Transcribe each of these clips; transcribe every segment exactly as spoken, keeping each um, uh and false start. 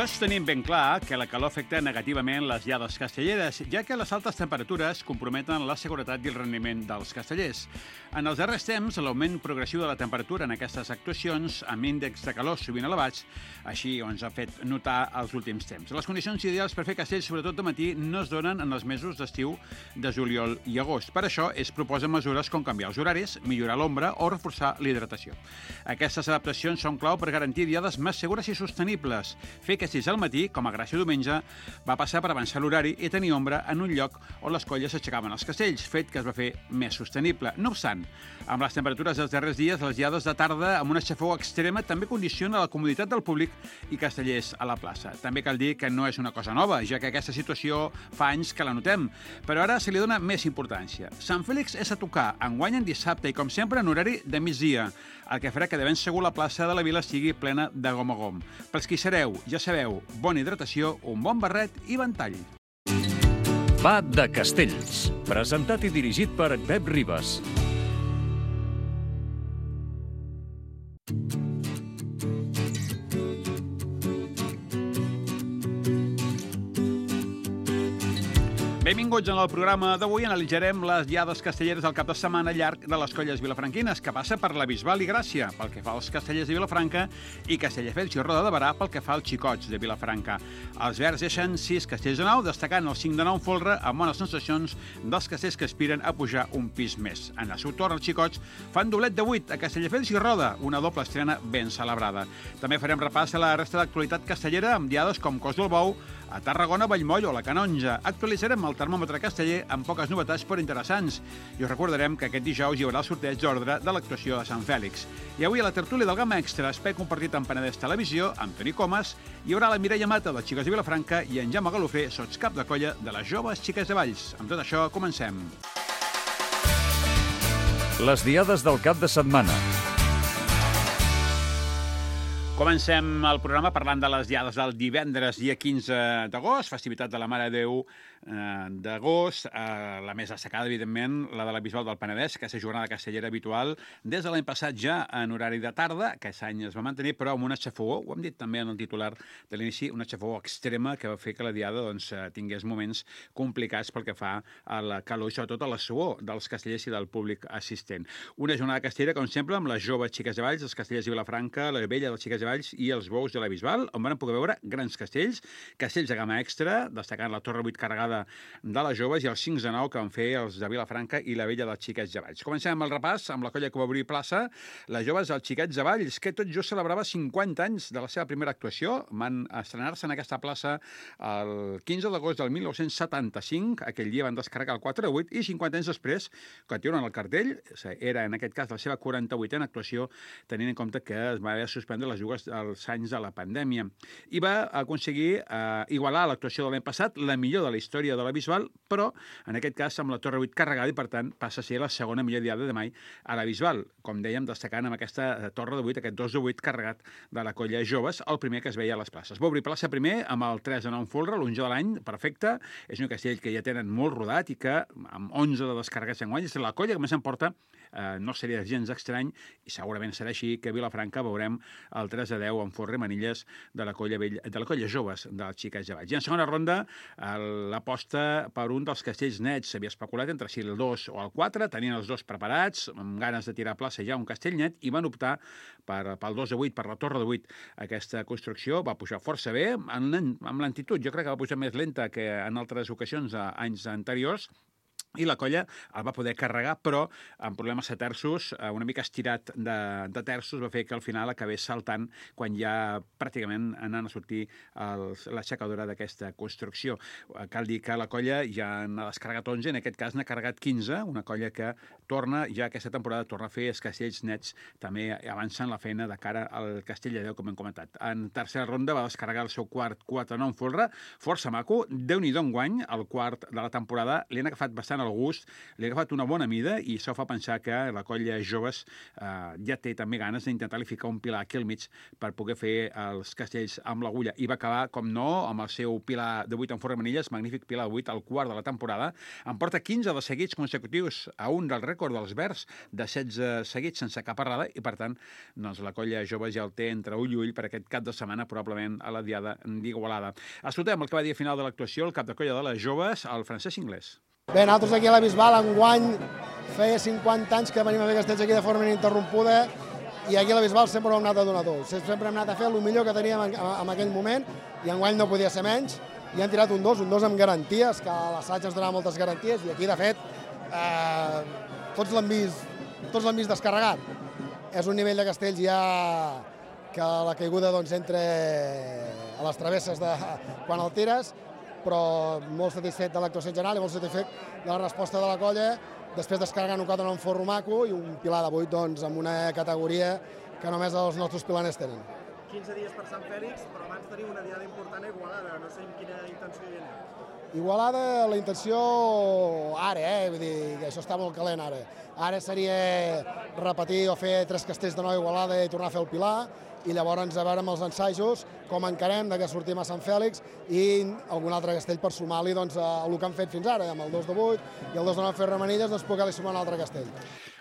Tots tenim ben clar que la calor afecta negativament les llades castelleres, ja que les altes temperatures comprometen la seguretat i el rendiment dels castellers. En els darrers temps, l'augment progressiu de la temperatura en aquestes actuacions, amb índexs de calor sovint elevats, així ens ha fet notar els últims temps. Les condicions ideals per fer castells, sobretot de matí, no es donen en els mesos d'estiu de juliol i agost. Per això es proposen mesures com canviar els horaris, millorar l'ombra o reforçar l'hidratació. Aquestes adaptacions són clau per garantir diades més segures i sostenibles. Fer castells al matí, com a Gràcia diumenge, va passar per avançar l'horari i tenir ombra en un lloc on les colles aixecaven els castells, fet que es va fer més sostenible. No obstant, amb les temperatures dels darrers dies, les diades de tarda amb una xafogor extrema també condiciona la comoditat del públic i castellers a la plaça. També cal dir que no és una cosa nova, ja que aquesta situació fa anys que la notem, però ara se li dona més importància. Sant Fèlix és a tocar, enguany en dissabte i, com sempre, en horari de migdia, el que farà que de ben segur la plaça de la Vila sigui plena de gom a gom. Pels qui sereu, ja sabeu, bona hidratació, un bon barret i ventall. Va de Castells, presentat i dirigit per Pep Ribas. Benvinguts en el programa d'avui. Analitzarem les diades castelleres del cap de setmana llarg de les colles vilafranquines, que passa per la Bisbal i Gràcia, pel que fa als castellers de Vilafranca, i Castelldefels i Roda de Berà pel que fa als xicots de Vilafranca. Els verds deixen sis castells de nou, destacant els cinc de nou folre, amb bones sensacions dels castells que aspiren a pujar un pis més. En el seu torn, els xicots fan doblet de vuit a Castelldefels i Roda, una doble estrena ben celebrada. També farem repàs a la resta d'actualitat castellera amb diades com Cos del Bou, a Tarragona, Vallmoll o la Canonja. Actualitzarem el termòmetre casteller amb poques novetats però interessants. I us recordarem que aquest dijous hi haurà el sorteig d'ordre de l'actuació de Sant Fèlix. I avui a la tertúlia del Gamma Extra, espai compartit amb Penedès Televisió, amb Toni Comas, hi haurà la Mireia Mata, de Xiques de Vilafranca, i en Jaume Galofré, sotscap de colla de les joves Xiques de Valls. Amb tot això, comencem. Les diades del cap de setmana. Comencem el programa parlant de les diades del divendres, dia quinze d'agost, festivitat de la Mare de Déu eh, d'agost, eh, la més destacada, evidentment, la de la Bisbal del Penedès, aquesta jornada castellera habitual, des de l'any passat ja en horari de tarda, aquest any es va mantenir, però amb una xafogor, ho hem dit també en el titular de l'inici, una xafogor extrema que va fer que la diada doncs, tingués moments complicats pel que fa a la calor i sobretot a la suor dels castellers i del públic assistent. Una jornada castellera, com sempre, amb les joves Xiques de Valls, els castellers de Vilafranca, la vella dels Xiques de Valls i els bous de la Bisbal, on van poder veure grans castells, castells de gamma extra, destacant la Torre vuit carregada de les joves i els cinc de nou que van fer els de Vilafranca i la vella dels Xiquets de Valls. Comencem amb el repàs, amb la colla que va obrir plaça, les joves dels Xiquets de Valls, que tot just celebrava cinquanta anys de la seva primera actuació. Van estrenar-se en aquesta plaça el quinze d'agost del mil nou-cents setanta-cinc, aquell dia van descarregar el quatre de vuit, i cinquanta anys després, continuen el cartell, era en aquest cas la seva quaranta-vuitena actuació, tenint en compte que es va haver de suspendre les jugues als anys de la pandèmia. I va aconseguir eh, igualar l'actuació de l'any passat, la millor de la història de la Bisbal, però en aquest cas amb la Torre vuit carregada i per tant passa a ser la segona millor diada de mai a la Bisbal. Com dèiem, destacant amb aquesta Torre de vuit, aquest dos de vuit carregat de la colla joves, el primer que es veia a les places. Va obrir plaça primer amb el tres de nou folre, l'onze de l'any, perfecte. És un castell que ja tenen molt rodat i que amb onze de descarregats enguany és la colla que més s'emporta. Eh, no seria gens estrany i segurament serà així que a Vilafranca veurem el tres a deu en folre manilles de la colla vella, de la colla joves dels Xiques de Valls. I en segona ronda, l'aposta per un dels castells nets. S'havia especulat entre si el dos o el quatre, tenien els dos preparats, amb ganes de tirar a plaça ja un castell net, i van optar per, pel dos de vuit, per la Torre de vuit. Aquesta construcció va pujar força bé, amb lentitud. Jo crec que va pujar més lenta que en altres ocasions, anys anteriors, i la colla el va poder carregar, però amb problemes de terços, una mica estirat de, de terços, va fer que al final acabés saltant quan ja pràcticament anant a sortir els, l'aixecadora d'aquesta construcció. Cal dir que la colla ja n'ha descarregat onze, en aquest cas n'ha carregat quinze, una colla que torna, ja aquesta temporada torna a fer els castells nets, també avancen la feina de cara al Castell de Déu, com hem comentat. En tercera ronda va descarregar el seu quart quatre nou folre, força maco, Déu-n'hi-do enguany, el quart de la temporada, li han agafat bastant agafant el gust, li ha agafat una bona mida i això fa pensar que la colla joves eh, ja té també ganes d'intentar-li ficar un pilar aquí al mig per poder fer els castells amb l'agulla. I va acabar, com no, amb el seu pilar de vuit en forra manilles, magnífic pilar de vuit, al quart de la temporada. En porta quinze de seguits consecutius a un del rècord dels Verds de setze seguits sense cap errada i, per tant, doncs, la colla jove ja el té entre ull i ull per aquest cap de setmana, probablement a la diada d'Igualada. Escoltem el que va dir a final de l'actuació el cap de colla de les joves, el Francesc Inglés. Bé, nosaltres aquí a la Bisbal enguany feia cinquanta anys que venim a fer castells aquí de forma ininterrompuda i aquí a la Bisbal sempre hem anat a donar dos. Sempre hem anat a fer el millor que teníem en, en aquell moment i enguany no podia ser menys i han tirat un dos, un dos amb garanties, que a l'assaig ens donava moltes garanties i aquí, de fet, eh, tots l'han vist, tots l'han vist descarregat. És un nivell de castells ja que la caiguda doncs, entre a les travesses de quan el tires, però molt satisfet de l'actuació general i molt satisfet de la resposta de la colla, després descarregant un quatre en un forro maco i un pilar de vuit doncs, amb una categoria que només els nostres pilaners tenen. quinze dies per Sant Fèlix, però abans tenim una diada important a Igualada, no sé amb quina intenció hi aneu. Igualada, la intenció ara, eh? Vull dir que això està molt calent ara. Ara seria repetir o fer tres castells de nou a Igualada i tornar a fer el pilar, i llavors a veure amb els ensajos com encarem de que sortim a Sant Fèlix i algun altre castell per sumar-li doncs, el que han fet fins ara, amb el dos de vuit i el dos de nou fer remanilles, doncs poder-li sumar un altre castell.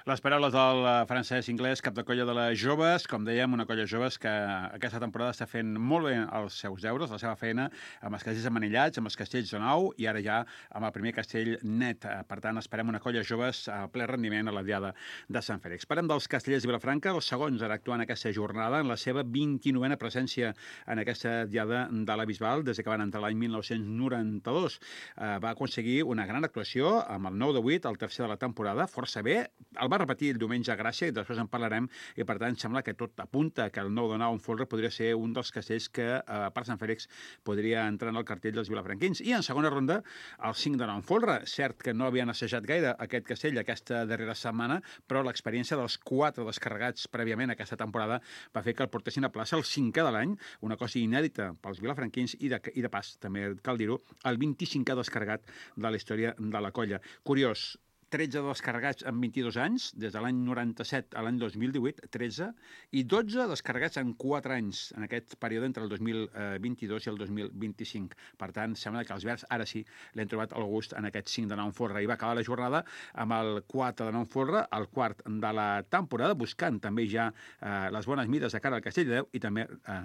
Les paraules del Francesc Inglés, cap de colla de les joves, com dèiem, una colla joves que aquesta temporada està fent molt bé els seus deures, la seva feina, amb els castells amanillats, amb els castells de nou i ara ja amb el primer castell net. Per tant, esperem una colla joves a ple rendiment a la diada de Sant Fèlix. Parlem dels castellers de Vilafranca, els segons ara actuant aquesta jornada en la seva vint-i-novena presència en aquesta diada de la Bisbal des que van entrar l'any mil nou-cents noranta-dos. Eh, va aconseguir una gran actuació amb el nou de vuit, el tercer de la temporada, força bé. El va repetir el diumenge a Gràcia i després en parlarem i per tant sembla que tot apunta que el nou de nou en folre podria ser un dels castells que eh, per Sant Fèlix podria entrar en el cartell dels vilafranquins. I en segona ronda el cinc de nou en folre. Cert que no havien assajat gaire aquest castell aquesta darrera setmana, però l'experiència dels quatre descarregats prèviament aquesta temporada va fer que el portessin a plaça el cinquè de l'any, una cosa inèdita pels vilafranquins i de, i de pas, també cal dir-ho, el vint-i-cinquè descarregat de la història de la colla. Curiós, tretze descarregats en vint-i-dos anys, des de l'any noranta-set a l'any dos mil divuit, tretze, i dotze descarregats en quatre anys, en aquest període entre el dos mil vint-i-dos i el dos mil vint-i-cinc. Per tant, sembla que els Verds ara sí l'han trobat el gust en aquest cinc de nou en folre. I va acabar la jornada amb el quatre de nou en folre, el quart de la temporada, buscant també ja eh, les bones mides de cara al Castell de Déu, i també eh,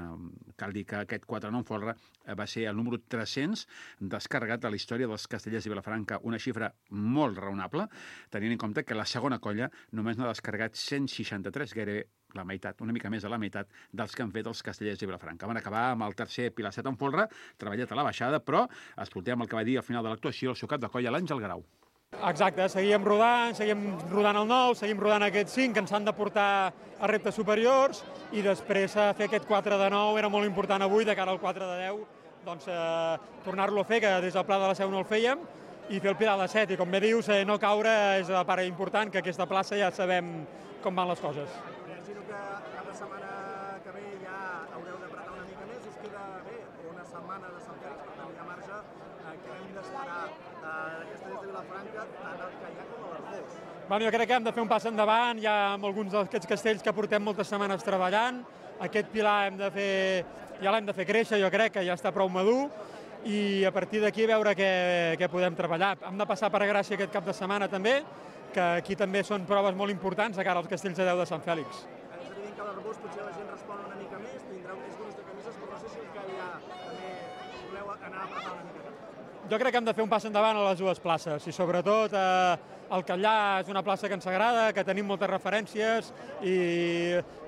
cal dir que aquest quatre de nou en folre eh, va ser el número tres-cents descarregat de la història dels castellers de Vilafranca, una xifra molt raonable, tenint en compte que la segona colla només n'ha descarregat cent seixanta-tres, gairebé la meitat, una mica més de la meitat dels que han fet els castellers de Vilafranca. Van acabar amb el tercer pilar set en folre, treballat a la baixada, però escoltem el que va dir al final de l'actuació el seu cap de colla, l'Àngel Grau. Exacte, seguíem rodant, seguíem rodant el nou, seguim rodant aquests cinc que ens han de portar a reptes superiors i després fer aquest quatre de nou era molt important avui de cara al quatre de deu, doncs eh, tornar-lo a fer, que des del Pla de la Seu no el fèiem, i fer el pilar de set, i com bé dius, eh, no caure és la part important, que aquesta plaça ja sabem com van les coses. Imagino que cada setmana que ve ja haureu d'apretar una mica més, us queda bé una setmana de Sant Fèlix, per tant hi ha marge, eh, que hem d'esperar eh, castellers de Vilafranca, tant el Callà com a l'Arboç. Bueno, jo crec que hem de fer un pas endavant, ja amb alguns d'aquests castells que portem moltes setmanes treballant, aquest pilar hem de fer, ja l'hem de fer créixer, jo crec que ja està prou madur, i a partir d'aquí veure què, què podem treballar. Hem de passar per Gràcia aquest cap de setmana també, que aquí també són proves molt importants de cara als castells de Déu de Sant Fèlix. És evident que a l'Arboç potser la gent respon una mica més, tindreu més grups de camises, però no sé si el Callà també voleu anar a apretar una mica. Jo crec que hem de fer un pas endavant a les dues places i sobretot eh, el Callà és una plaça que ens agrada, que tenim moltes referències i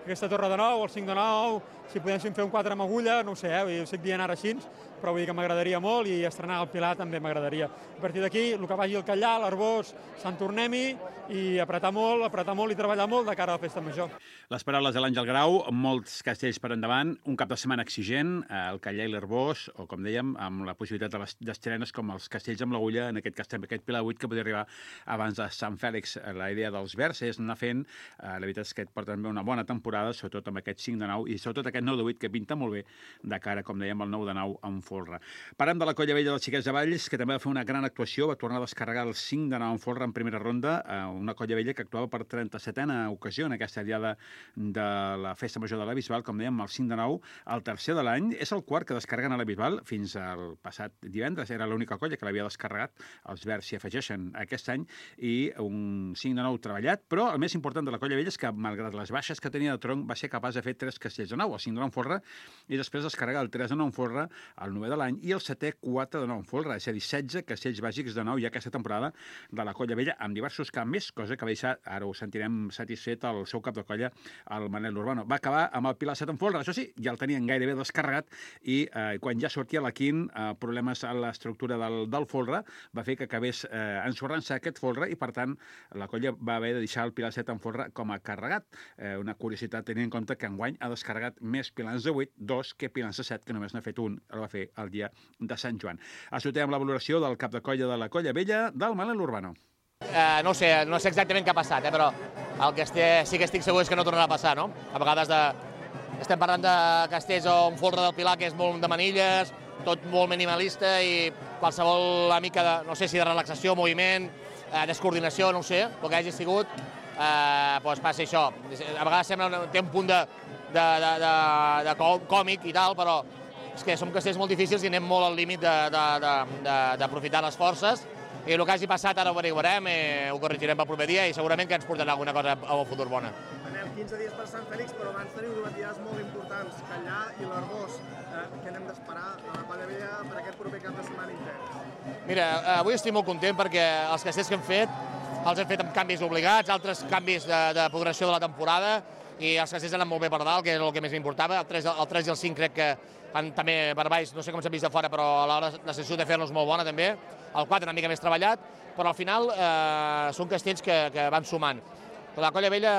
aquesta torre de nou, el cinc de nou, si podéssim fer un quatre amb agulla, no ho sé, eh, ho estic dient ara així, però vull dir que m'agradaria molt i estrenar el Pilar també m'agradaria. A partir d'aquí, el que vagi al Callà, l'Arboç, Sant Tornem-hi i apretar molt, apretar molt i treballar molt de cara a la festa major. Les paraules de l'Àngel Grau, molts castells per endavant, un cap de setmana exigent, el Callà i l'Arboç, o com dèiem, amb la possibilitat d'estrenes com els castells amb l'agulla, en aquest cas també aquest Pilar vuit que podria arribar abans pilans de Sant Fèlix, la idea dels verds és anar fent, la veritat és que porten bé una bona temporada, sobretot amb aquest cinc de nou i sobretot aquest nou de vuit que pinta molt bé de cara, com dèiem, al nou de nou en folre. Parlem de la Colla Vella dels Xiquets de Valls, que també va fer una gran actuació, va tornar a descarregar el cinc de nou en folre en primera ronda, una Colla Vella que actuava per trenta-setena ocasió en aquesta diada de la Festa Major de la Bisbal, com dèiem, el cinc de nou, el tercer de l'any, és el quart que descarreguen a la Bisbal, fins al passat divendres, era l'única colla que l'havia descarregat, els verds s'hi afegeixen aquest any, i un cinc de nou treballat, però el més important de la Colla Vella és que, malgrat les baixes que tenia de tronc, va ser capaç de fer tres castells de nou, el cinc de nou en folre, i després descarregar el tres de nou en folre, el novè de l'any, i el setè quatre de nou en folre, és a dir, setze castells bàsics de nou ja aquesta temporada de la Colla Vella, amb diversos canvis, cosa que va deixar, ara ho sentirem satisfet, el seu cap de colla, el Manel Urbano. Va acabar amb el Pilar set en folre, això sí, ja el tenien gairebé descarregat, i eh, quan ja sortia la quin, eh, problemes a l'estructura del, del folre, va fer que acabés eh, ensorrant-se aquest folre, i per tant la colla va haver de deixar el Pilar set en folre com a carregat. Eh, una curiositat tenint en compte que enguany ha descarregat més pilans de vuit, dos, que pilans de set, que només n'ha fet un, el va fer el dia de Sant Joan. Assotem la valoració del cap de colla de la Colla Vella, del Manel Urbano. Eh, no sé, no sé exactament què ha passat, eh, però el que estic, sí que estic segur és que no tornarà a passar, no? A vegades de, estem parlant de castells o un folre del Pilar que és molt de manilles, tot molt minimalista i qualsevol mica de, no sé si de relaxació, moviment, eh, descoordinació, no ho sé, el que hagi sigut, eh, doncs passa això. A vegades sembla, té un punt de, de, de, de, de còmic i tal, però és que som castells molt difícils i anem molt al límit d'aprofitar les forces. I el que hagi passat ara ho averiguarem, eh, ho corregirem pel proper dia i segurament que ens portarà alguna cosa al futur bona. Anem quinze dies per Sant Fèlix, però abans teniu dues dies molt importants, Callà i l'Arboç. Eh, què n'hem d'esperar a la Colla Vella per aquest proper cap de setmana intens? Mira, avui estic molt content perquè els castells que hem fet els hem fet amb canvis obligats, altres canvis de, de progressió de la temporada, i els castells han anat molt bé per dalt, que és el que més m'importava. El tres, el tres i el cinc crec que han també per baix, no sé com s'han vist de fora, però a l'hora la sensació de fer-los molt bona també. El quatre una mica més treballat, però al final eh, són castells que, que van sumant. La Colla Vella,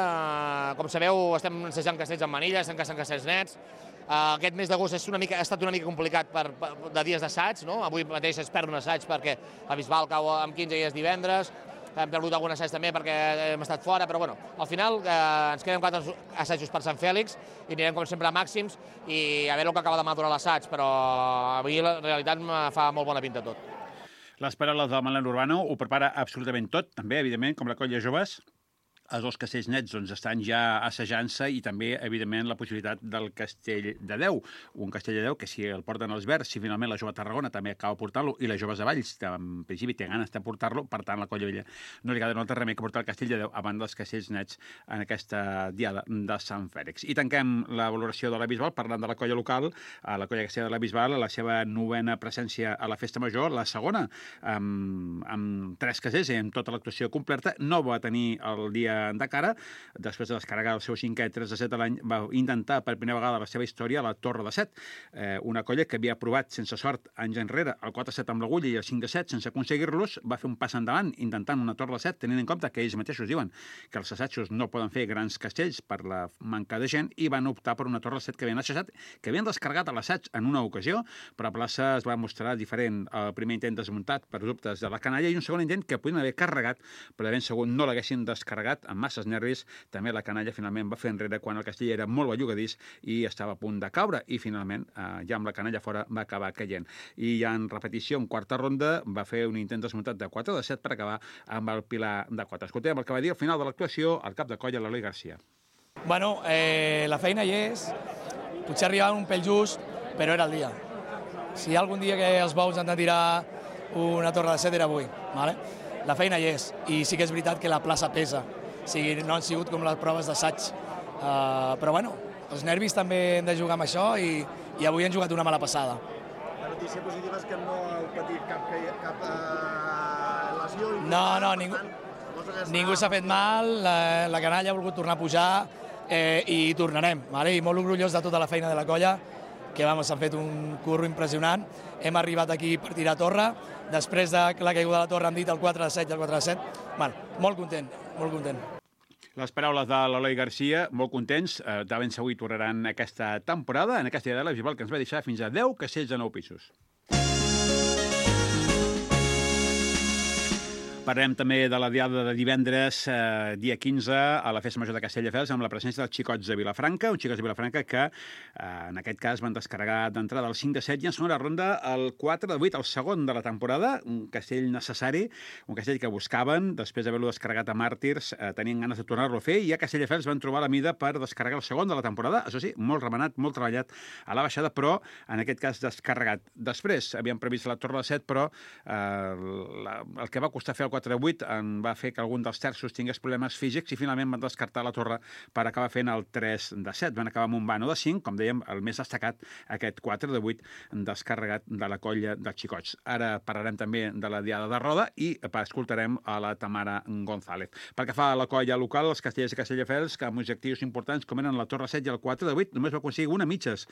com sabeu, estem ensejant castells amb manilles, estem caçant castells nets. Eh, aquest mes d'agost és una mica, ha estat una mica complicat per, per, de dies d'assaig, no? Avui mateix es perd un assaig perquè la Bisbal cau amb quinze dies divendres, hem perdut algun assaig també perquè hem estat fora, però bueno, al final eh, ens queden quatre assajos per Sant Fèlix i anirem com sempre a màxims i a veure el que acaba de madurar l'assaig, però avui la realitat me fa molt bona pinta tot. Les paraules del Manel Urbano ho prepara absolutament tot, també, evidentment, com la Colla Joves. Els dos castells nets doncs, estan ja assajant-se i també, evidentment, la possibilitat del castell de deu. Un castell de deu que si el porten els verds, si finalment la Jove Tarragona també acaba portant-lo i les Joves de Valls, en principi, té ganes de portar-lo, per tant, la Colla Vella no li queda un altre remei que portar el castell de deu abans dels castells nets en aquesta diada de Sant Fèlix. I tanquem la valoració de la Bisbal parlant de la colla local, a la Colla Castellera de la Bisbal, la seva novena presència a la Festa Major, la segona, amb, amb tres castells i amb tota l'actuació completa, no va tenir el dia de cara, després de descarregar el seu cinquè tres de set a l'any, va intentar per primera vegada la seva història la Torre de set, eh, una colla que havia provat sense sort anys enrere el quatre set amb l'agulla i el cinc de set sense aconseguir-los, va fer un pas endavant intentant una Torre de set, tenint en compte que ells mateixos diuen que els assajos no poden fer grans castells per la manca de gent i van optar per una Torre de set que havien assajat, que havien descarregat a l'assaig en una ocasió, però a plaça es va mostrar diferent. El primer intent desmuntat per dubtes de la canalla i un segon intent que podien haver carregat, però de ben segur no l'haguessin descarregat amb masses nervis. També la canalla finalment va fer enrere quan el castell era molt bellugadís i estava a punt de caure i finalment eh, ja amb la canalla fora va acabar caient. I ja en repetició, en quarta ronda, va fer un intent desmuntat de quatre de set per acabar amb el Pilar de quatre. Escoltem el que va dir al final de l'actuació el cap de colla, l'Eloi Garcia. Bueno, eh, la feina hi és, potser arribava un pèl just, però era el dia. Si hi ha algun dia que els bous han de tirar una torre de set era avui, ¿vale? La feina hi és, i sí que és veritat que la plaça pesa. O sigui, no han sigut com les proves d'assaig. Uh, però bueno, els nervis també hem de jugar amb això i, i avui han jugat una mala passada. La notícia positiva és que no heu patit cap, cap uh, lesió. No, no, ningú, ningú s'ha fet mal, la, la canalla ha volgut tornar a pujar eh, i tornarem. Vale? I molt orgullós de tota la feina de la colla, que vamos, han fet un curro impressionant. Hem arribat aquí per tirar torre, després de la caiguda de la torre han dit el quatre de set i el quatre de set. Bueno, molt content, molt content. Les paraules de l'Eloi Garcia, molt contents, eh, de ben segur hi tornaran aquesta temporada, en aquesta idea de la Bisbal, que ens va deixar fins a deu castells de nou pisos. Parlem també de la diada de divendres, eh, dia quinze, a la Festa Major de Castelldefels, amb la presència dels Xicots de Vilafranca, uns Xicots de Vilafranca que, eh, en aquest cas, van descarregar d'entrada el cinc de set i en segona ronda el quatre de vuit, el segon de la temporada, un castell necessari, un castell que buscaven, després d'haver-lo descarregat a Màrtirs, eh, tenien ganes de tornar-lo a fer, i a Castelldefels van trobar la mida per descarregar el segon de la temporada, això sí, molt remenat, molt treballat a la baixada, però, en aquest cas, descarregat. Després, havien previst la torre de set, però eh, la, el que va costar fer el quatre de vuit en va fer que algun dels terços tingués problemes físics i finalment van descartar la torre per acabar fent el tres de set. Van acabar amb un vano de cinc, com dèiem, el més destacat, aquest quatre de vuit descarregat de la colla dels Xicots. Ara parlarem també de la diada de Roda i escoltarem a la Tamara González. Pel que fa a la colla local, els castellers i castelldefels, que amb objectius importants com eren la torre set i el quatre de vuit, només va aconseguir una mitges.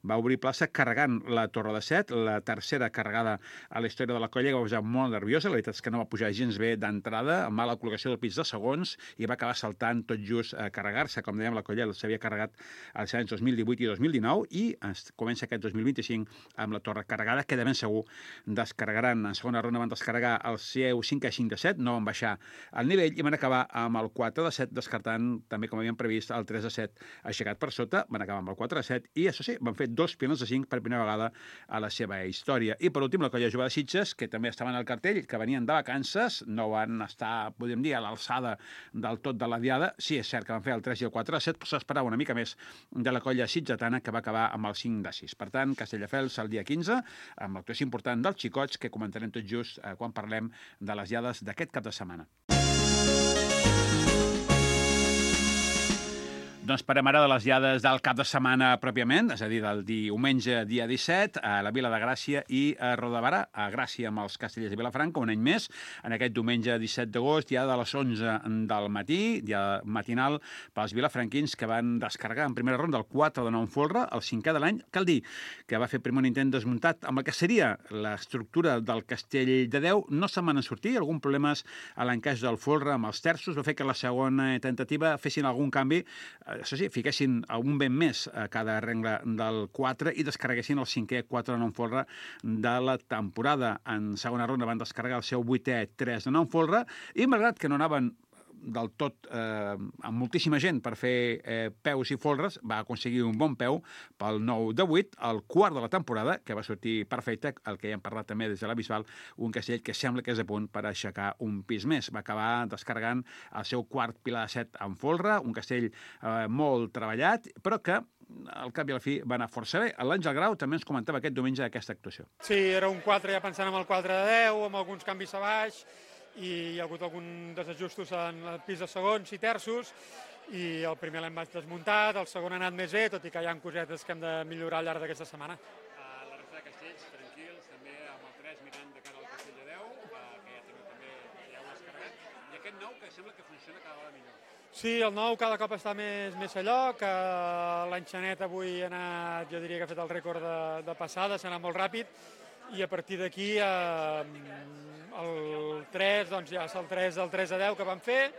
Va obrir plaça carregant la torre de set, la tercera carregada a la història de la colla, que va posar molt nerviosa. La veritat és que no va pujar gens bé d'entrada, amb mala col·locació del pis de segons, i va acabar saltant tot just a carregar-se. Com dèiem, la colla s'havia carregat als anys dos mil divuit i dos mil dinou i es comença aquest dos mil vint-i-cinc amb la torre carregada, que de ben segur descarregaran. En segona ronda van descarregar el seu cinc a cinc de set, no van baixar el nivell i van acabar amb el quatre de set, descartant també, com havíem previst, el tres de set aixecat per sota. Van acabar amb el quatre de set i, això sí, van fer dos pilons de cinc per primera vegada a la seva història. I, per últim, la colla jove de Sitges, que també estaven al cartell, que venien de vacances, no van estar, podríem dir, a l'alçada del tot de la diada. Sí, és cert que van fer el tres i el quatre de set, però s'esperava una mica més de la colla sitgetana, que va acabar amb el cinc de sis. Per tant, Castelldefels el dia quinze, amb l'actuació important dels Xicots, que comentarem tot just eh, quan parlem de les diades d'aquest cap de setmana. Doncs parlem ara de les diades del cap de setmana pròpiament, és a dir, del diumenge, dia disset, a la Vila de Gràcia i a Rodabarà, a Gràcia amb els castellers de Vilafranca, un any més, en aquest diumenge disset d'agost, dia de les onze del matí, dia matinal pels vilafranquins, que van descarregar en primera ronda el quatre de nou folre, el cinquè de l'any. Cal dir que va fer primer un intent desmuntat amb el que seria l'estructura del castell de Déu. No se'n van sortir, algun problemes a l'encaix del folre amb els terços, va fer que la segona tentativa fessin algun canvi, això sí, fiquessin un vent més a cada rengle del quatre i descarreguessin el cinquè quatre de nou folre de la temporada. En segona ronda van descarregar el seu vuitè tres de nou folre i, malgrat que no anaven del tot eh, amb moltíssima gent per fer eh, peus i folres, va aconseguir un bon peu pel nou de vuit, el quart de la temporada, que va sortir perfecte, el que ja hem parlat també des de la Bisbal, un castell que sembla que és a punt per aixecar un pis més. Va acabar descarregant el seu quart pilar de set en folre, un castell eh, molt treballat, però que al cap i a la fi va anar força bé. L'Àngel Grau també ens comentava aquest diumenge aquesta actuació. Sí, era un quatre ja pensant en el quatre de deu, amb alguns canvis a baix, i hi ha hagut algun desajustos en el pis de segons i terços, i el primer l'hem desmuntat, el segon ha anat més bé, tot i que hi ha cosetes que hem de millorar al llarg d'aquesta setmana. Uh, la resta de castells, tranquils, també amb el tres mirant de cara al castell de Déu, uh, que ja també, també ja ho has carregat, i aquest nou que sembla que funciona cada vegada millor. Sí, el nou cada cop està més, més a lloc, l'enxanet avui ha anat, jo diria que ha fet el rècord de, de passada, s'ha anat molt ràpid, i a partir d'aquí eh, el tres, doncs ja és el tres del tres a deu que vam fer,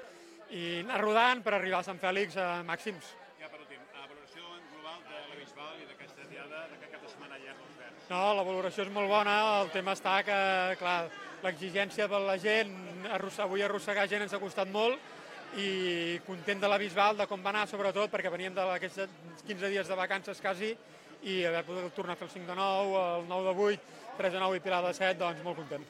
i anar rodant per arribar a Sant Fèlix a màxims. Ja per últim, a valoració global de la Bisbal i d'aquesta diada, d'aquest cap de setmana allà als Verds. No, la valoració és molt bona, el tema està que, clar, l'exigència per la gent, avui arrossegar gent ens ha costat molt, i content de la Bisbal, de com va anar, sobretot, perquè veníem d'aquests quinze dies de vacances quasi, i haver pogut tornar a fer el cinc de nou, el nou de vuit, tres de nou i pilar de set, doncs molt content.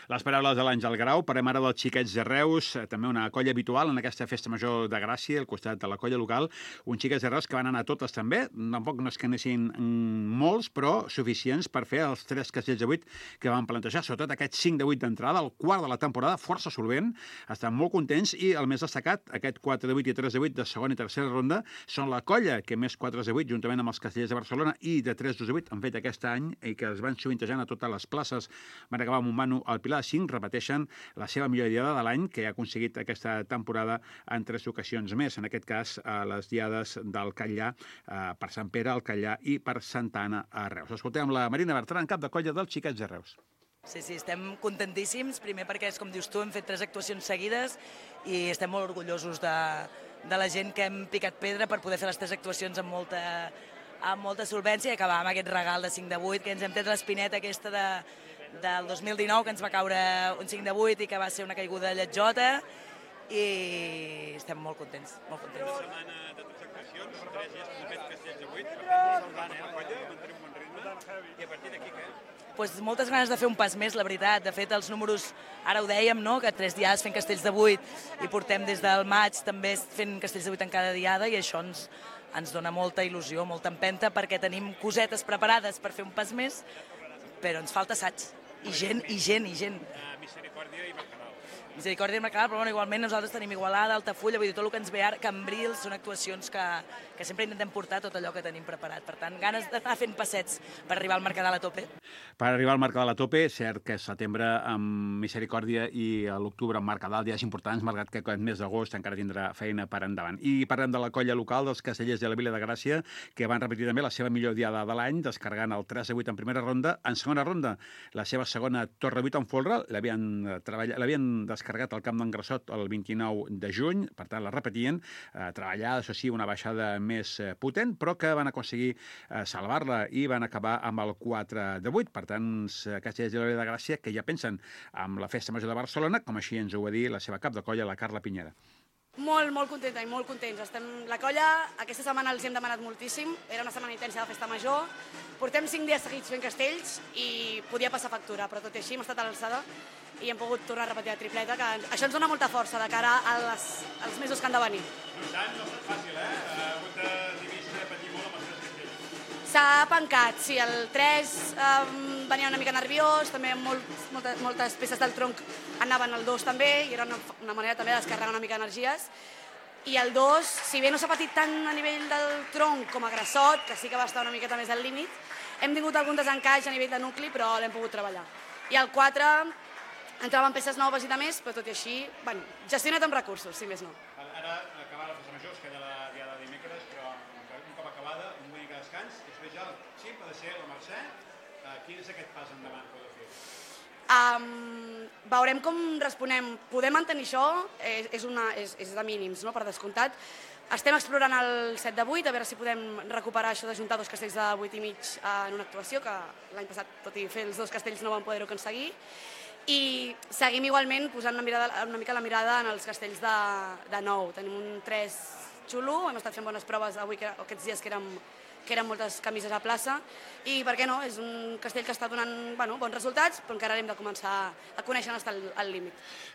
Les paraules de l'Àngel Grau. Parlem ara dels Xiquets de Reus, també una colla habitual en aquesta festa major de Gràcia, al costat de la colla local. Uns Xiquets de Reus que van anar totes també, tampoc no és que anessin molts, però suficients per fer els tres castells de vuit que van plantejar, sobretot aquest cinc de vuit d'entrada, el quart de la temporada, força solvent, estan molt contents, i el més destacat, aquest quatre de vuit i tres de vuit de segona i tercera ronda, són la colla que més quatre de vuit, juntament amb els castellers de Barcelona i de tres de vuit, han fet aquest any i que es van sovintejant a totes les places. Van acabar amb un mano al Pilar de cinc, repeteixen la seva millor diada de l'any, que ha aconseguit aquesta temporada en tres ocasions més, en aquest cas a les diades del Catllà, eh, per Sant Pere, el Catllà i per Santa Anna a Reus. Escoltem la Marina Bertran, cap de colla dels Xiquets de Reus. Sí, sí, estem contentíssims, primer perquè, és com dius tu, hem fet tres actuacions seguides i estem molt orgullosos de, de la gent que hem picat pedra per poder fer les tres actuacions amb molta, amb molta solvència i acabar amb aquest regal de cinc de vuit, que ens hem tret l'espineta aquesta de del dos mil dinou, que ens va caure un cinc de vuit i que va ser una caiguda lletjota, i estem molt contents, molt contents. Una setmana de tres actuacions, tres dies que hem fet castells de vuit, per tant, la colla, mantenir un bon ritme, i a partir d'aquí què? Pues moltes ganes de fer un pas més, la veritat. De fet, els números, ara ho dèiem, no? Que tres dies fent castells de vuit i portem des del maig també fent castells de vuit en cada diada, i això ens, ens dona molta il·lusió, molta empenta, perquè tenim cosetes preparades per fer un pas més, però ens falta assaig. I gent, i gent, i gent. Misericòrdia i Mercadal. Misericòrdia i Mercadal, però bueno, igualment nosaltres tenim Igualada, Altafulla, vull dir, tot el que ens ve ara, Cambrils, són actuacions que, que sempre intentem portar tot allò que tenim preparat. Per tant, ganes d'anar fent passets per arribar al Mercadal a tope. Per arribar al Mercadal a tope, cert que setembre amb Misericòrdia i a l'octubre amb Mercadal, dies importants, malgrat que aquest mes d'agost encara tindrà feina per endavant. I parlem de la colla local dels Castellers de la Vila de Gràcia, que van repetir també la seva millor diada de l'any, descarregant el tres a vuit en primera ronda. En segona ronda, la seva segona Torre vuit en folre, l'havien treballat, l'havien descarregat al camp d'en Grassot el vint-i-nou de juny, per tant la repetien, eh, treballada, això sí, una baixada més eh, potent, però que van aconseguir eh, salvar-la i van acabar amb el quatre de vuit. Per tant, Castellers de la Vila de Gràcia, que ja pensen amb la Festa Major de Barcelona, com així ens ho va dir la seva cap de colla, la Carla Pinyera. Molt, molt contenta i molt contents. Estem... La colla, aquesta setmana els hem demanat moltíssim, era una setmana intensa de Festa Major, portem cinc dies seguits fent castells i podia passar factura, però tot i així hem estat a l'alçada i hem pogut tornar a repetir la tripleta, que això ens dona molta força de cara a les, als mesos que han de venir. No tant, no ha estat fàcil, eh? Ha hagut de dividir, patir molt amb els tres castells. S'ha pencat, sí, el tres eh, venia una mica nerviós, també molt, moltes, moltes peces del tronc anaven al dos també, i era una, una manera també de descarregar una mica energies. I el dos, si bé no s'ha patit tant a nivell del tronc com a Grassot, que sí que va estar una miqueta més al límit, hem tingut algun desencaix a nivell de nucli, però l'hem pogut treballar. I el quatre entraven peces noves i de més, però tot i així, bueno, gestionat amb recursos, si més no. Ara, acabar la Festa Major, es queda la diada de dimecres, però un cop acabada, un mica de descans, i després ja el xip ha de ser la Mercè. Quin és aquest pas endavant que heu de fer? Um, veurem com responem. Poder mantenir això és, és, una, és, és de mínims, no? Per descomptat. Estem explorant el set de vuit, a veure si podem recuperar això d'ajuntar dos castells de vuit i mig en una actuació, que l'any passat, tot i fer els dos castells, no vam poder-ho aconseguir. I seguim igualment posant una, mirada, una mica la mirada en els castells de, de nou. Tenim un tres xulo, hem estat fent bones proves avui, que, aquests dies que érem, que eren moltes camises a plaça, i per què no? És un castell que està donant bueno, bons resultats, però encara hem de començar a conèixer on està el, el límit.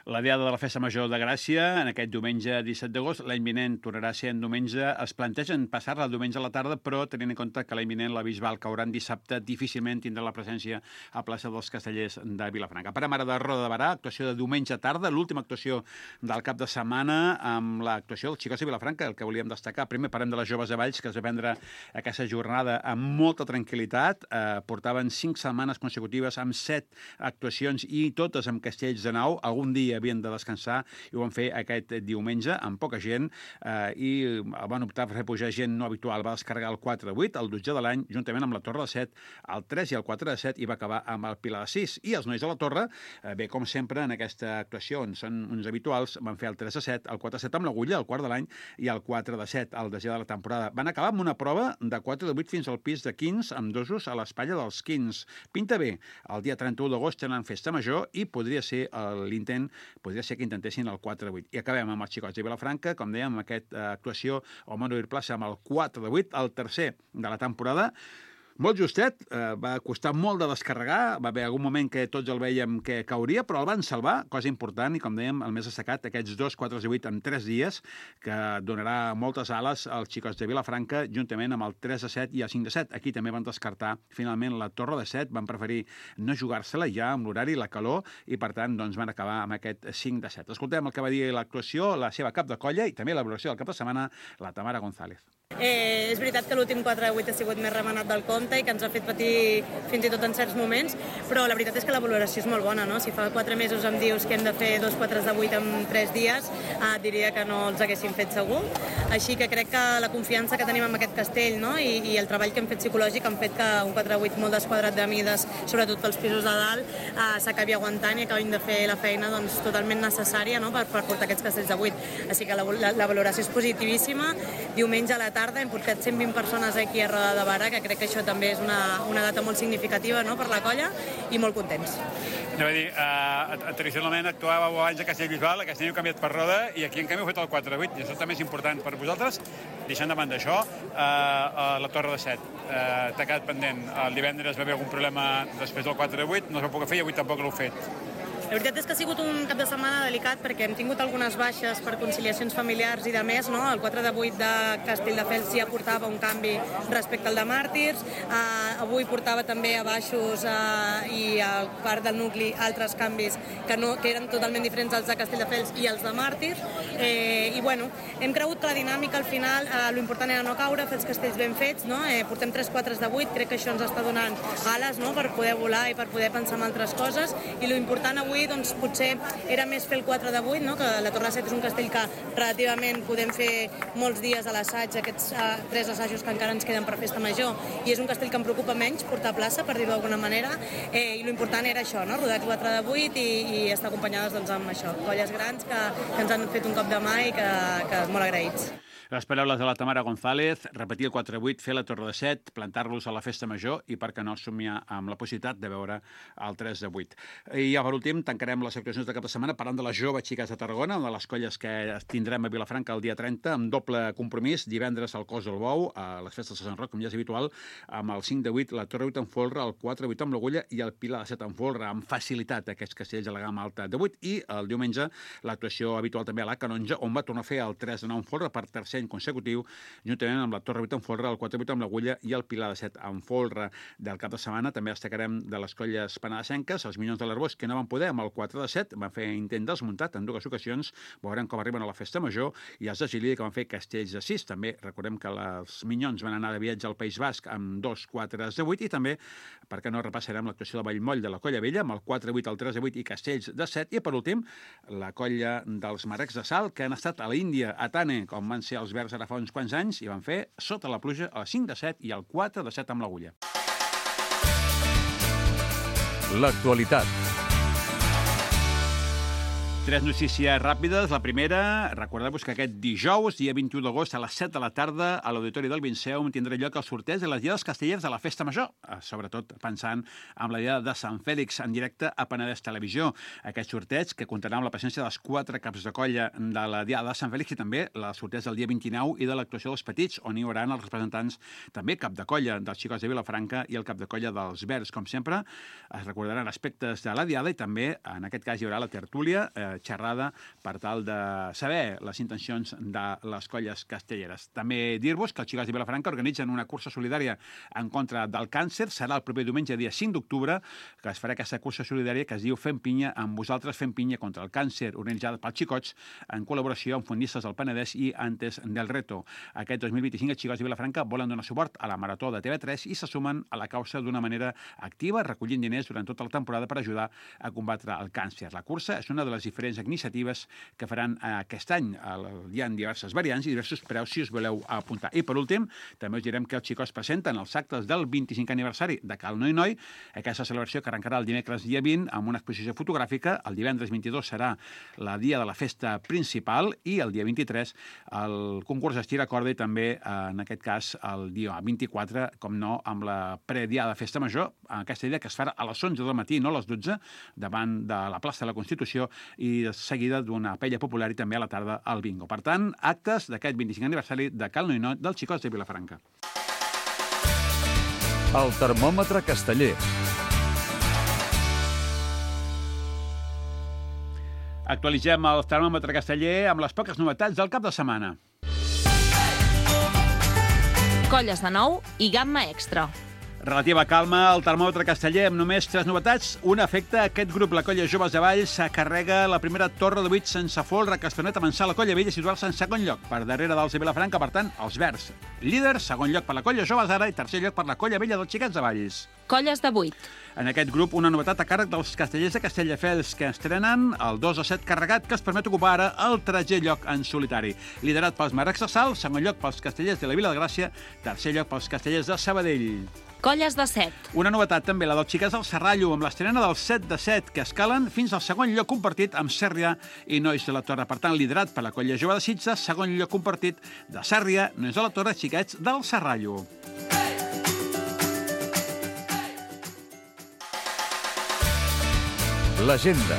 La diada de la Festa Major de Gràcia, en aquest diumenge disset d'agost, l'any vinent tornarà a ser en diumenge. Es plantegen passar-la el diumenge a la tarda, però tenint en compte que l'any vinent la Bisbal caurà en dissabte, difícilment tindrà la presència a plaça dels Castellers de Vilafranca. Parem ara de Roda de Barà, actuació de diumenge tarda, l'última actuació del cap de setmana amb l'actuació dels Xicots de Vilafranca, el que volíem destacar. Primer parlem de les joves de Valls, que es va prendre aquesta jornada amb molta tranquil·litat. Eh, portaven cinc setmanes consecutives amb set actuacions i totes amb castells de nau. Algun dia havien de descansar i ho van fer aquest diumenge amb poca gent eh, i van optar per fer pujar gent no habitual. Va descarregar el quatre de vuit, el dotzè de l'any, juntament amb la Torre de set, el tres i el quatre de set, i va acabar amb el Pilar de sis. I els nois de la Torre, eh, bé, com sempre, en aquesta actuació, on són uns habituals, van fer el tres de set, el quatre de set amb l'Agulla, el quart de l'any, i el quatre de set, el desè de la temporada. Van acabar amb una prova de quatre de vuit fins al pis de quinze, amb dosos a l'espatlla dels quinze. Pinta bé. El dia trenta-u d'agost tenen Festa Major i podria ser l'intent, podria ser que intentessin el quatre de vuit. I acabem amb els Xicots de Vilafranca, com dèiem, amb aquesta actuació al Monuir Plaça amb el quatre de vuit, el tercer de la temporada. Molt justet, eh, va costar molt de descarregar, va haver algun moment que tots el vèiem que cauria, però el van salvar, cosa important, i com dèiem, el més destacat, aquests dos quatre de vuit en tres dies, que donarà moltes ales als Xicots de Vilafranca, juntament amb el tres de set i el cinc de set. Aquí també van descartar, finalment, la Torre de set, van preferir no jugar-se-la ja amb l'horari, la calor, i per tant doncs, van acabar amb aquest cinc de set. Escoltem el que va dir l'actuació, la seva cap de colla, i també la valoració del cap de setmana, la Tamara González. Eh, és veritat que l'últim quatre de vuit ha sigut més remenat del compte i que ens ha fet patir fins i tot en certs moments, però la veritat és que la valoració és molt bona, no? Si fa quatre mesos em dius que hem de fer dos quatre de vuit en tres dies, eh, diria que no els haguéssim fet segur. Així que crec que la confiança que tenim en aquest castell, no? I, i el treball que hem fet psicològic han fet que un quatre de vuit molt desquadrat de mides, sobretot pels pisos de dalt, eh, s'acabi aguantant i acabin de fer la feina doncs, totalment necessària, no? per, per portar aquests castells de vuit. Així que la, la, la valoració és positivíssima. Diumenge a la tarda tarda hem portat cent vint persones aquí a Roda de Barà, que crec que això també és una, una data molt significativa, no?, per la colla, i molt contents. Anava a dir, uh, tradicionalment actuàveu abans a Castellbisbal, a Castell heu canviat per Roda, i aquí en canvi heu fet el quatre vuit, i això també és important per vosaltres. Deixant de banda això, uh, uh, la Torre de Set, uh, t'ha quedat pendent. El divendres va haver algun problema després del quatre vuit, no es va poder fer i avui tampoc l'heu fet. La veritat és que ha sigut un cap de setmana delicat perquè hem tingut algunes baixes per conciliacions familiars i de més, no? El quatre de vuit de Castelldefels ja portava un canvi respecte al de Màrtirs, uh, avui portava també a baixos uh, i a part del nucli altres canvis que, no, que eren totalment diferents als de Castelldefels i els de Màrtirs, eh, i bueno, hem cregut que la dinàmica al final, uh, l'important era no caure, fer els castells ben fets, no? Eh, portem tres quatre de vuit, crec que això ens està donant ales, no?, per poder volar i per poder pensar en altres coses, i l'important avui doncs, potser era més fer el quatre de vuit, no?, que la Torre de Set és un castell que relativament podem fer molts dies a l'assaig, aquests uh, tres assajos que encara ens queden per festa major, i és un castell que em preocupa menys portar plaça, per dir-ho d'alguna manera, eh, i l'important era això, no?, rodar quatre de vuit i, i estar acompanyades doncs, amb això, colles grans que, que ens han fet un cop de mà i que, que molt agraïts. Les paraules de la Tamara González, repetir el quatre vuit, fer la Torre de Set, plantar-los a la festa major i, per què no, somiar amb la possibilitat de veure el tres de vuit. I ja, per últim, tancarem les actuacions de cap de setmana parlant de les joves xiques de Tarragona, una de les colles que tindrem a Vilafranca el dia trenta, amb doble compromís, divendres al Cos del Bou, a les festes de Sant Roc, com ja és habitual, amb el cinc de vuit, la Torre vuit en folre, el quatre vuit amb l'Agulla i el Pilar de Set en folre, amb facilitat aquests castells a la gamma alta de vuit, i el diumenge l'actuació habitual també a la Canonja, on va tornar a fer el tres de nou en folre per tercer any consecutiu, juntament amb la Torre vuit en folre, el quatre vuit amb l'Agulla i el Pilar de Set en folre. Del cap de setmana també destacarem de les colles penedesenques, els Minyons de l'Arbós, que no van poder amb el quatre de set, van fer intent desmuntat en dues ocasions, veurem com arriben a la festa major, i els de Gili, que van fer castells de sis. També recordem que els Minyons van anar de viatge al País Basc amb dos quatre de vuit, i també, per què no, repassarem l'actuació de Vallmoll de la Colla Vella, amb el quatre vuit, el tres de vuit i castells de set, i per últim, la colla dels Marecs de Salt, que han estat a l'Índia, a Tane, com van ser els Verds ara fa uns quants anys, i van fer Sota la pluja a cinc de set i el quatre de set amb l'Agulla. L'actualitat. Tres notícies ràpides. La primera, recordeu-vos que aquest dijous, dia vint-i-u d'agost, a les set de la tarda, a l'Auditori del Vinceum tindrà lloc el sorteig de les diades castelleres de la Festa Major, sobretot pensant en la diada de Sant Fèlix en directe a Penedès Televisió. Aquest sorteig, que comptarà amb la presència dels quatre caps de colla de la diada de Sant Fèlix, i també el sorteig del dia vint-i-nou i de l'actuació dels petits, on hi haurà els representants també cap de colla dels xicots de Vilafranca i el cap de colla dels Verds. Com sempre, es recordaran aspectes de la diada i també, en aquest cas, hi haurà la tertúlia, eh, xerrada per tal de saber les intencions de les colles castelleres. També dir-vos que els xicots de Vilafranca organitzen una cursa solidària en contra del càncer. Serà el proper diumenge, dia cinc d'octubre, que es farà aquesta cursa solidària que es diu Fem pinya amb vosaltres, fem pinya contra el càncer, organitzada pels xicots en col·laboració amb Fondistes del Penedès i Antes del Reto. Aquest dos mil vint-i-cinc els xicots de Vilafranca volen donar suport a la Marató de T V tres i se sumen a la causa d'una manera activa, recollint diners durant tota la temporada per ajudar a combatre el càncer. La cursa és una de les diferents iniciatives que faran aquest any. Hi ha diverses variants i diversos preus si us voleu apuntar. I per últim, també us direm que els xicots presenten els actes del vint-i-cinquè aniversari de Cal Noi Noi, aquesta celebració que arrencarà el dimecres dia vint amb una exposició fotogràfica. El divendres vint-i-dos serà la dia de la festa principal i el dia vint-i-tres el concurs d'estira corda i també, en aquest cas, el dia vint-i-quatre, com no, amb la prediada de festa major, aquesta idea que es farà a les onze del matí, no a les dotze, davant de la plaça de la Constitució, i de seguida d'una paella popular i també a la tarda al bingo. Per tant, actes d'aquest vint-i-cinquè aniversari de Cal Noi Noi dels xicots de Vilafranca. El termòmetre casteller. Actualitzem el termòmetre casteller amb les poques novetats del cap de setmana. Colles de nou i gamma extra. Relativa calma al termòmetre casteller amb només tres novetats. Una afecta aquest grup, la colla Joves de Valls, carrega la primera torre de vuit sense folre que es permet avançar la colla vella i situar-se en segon lloc, per darrere dels de Vilafranca, per tant, els Verds. Líder, segon lloc per la colla Joves ara i tercer lloc per la colla vella dels Xiquets de Valls. Colles de vuit. En aquest grup, una novetat a càrrec dels castellers de Castelldefels, que estrenen el dos a set carregat, que es permet ocupar ara el tretzè lloc en solitari. Liderat pels Marrecs de Salt, segon lloc pels castellers de la Vila de Gràcia, tercer lloc pels castellers de Sabadell. Colles de set. Una novetat també, la dels xiquets del Serrallo, amb l'estrena del set de set, que escalen fins al segon lloc compartit amb Sèrria i Nois de la Torre. Per tant, liderat per la Colla Jove de Sitges, segon lloc compartit de Sèrria, Nois de la Torre, xiquets del Serrallo. L'agenda.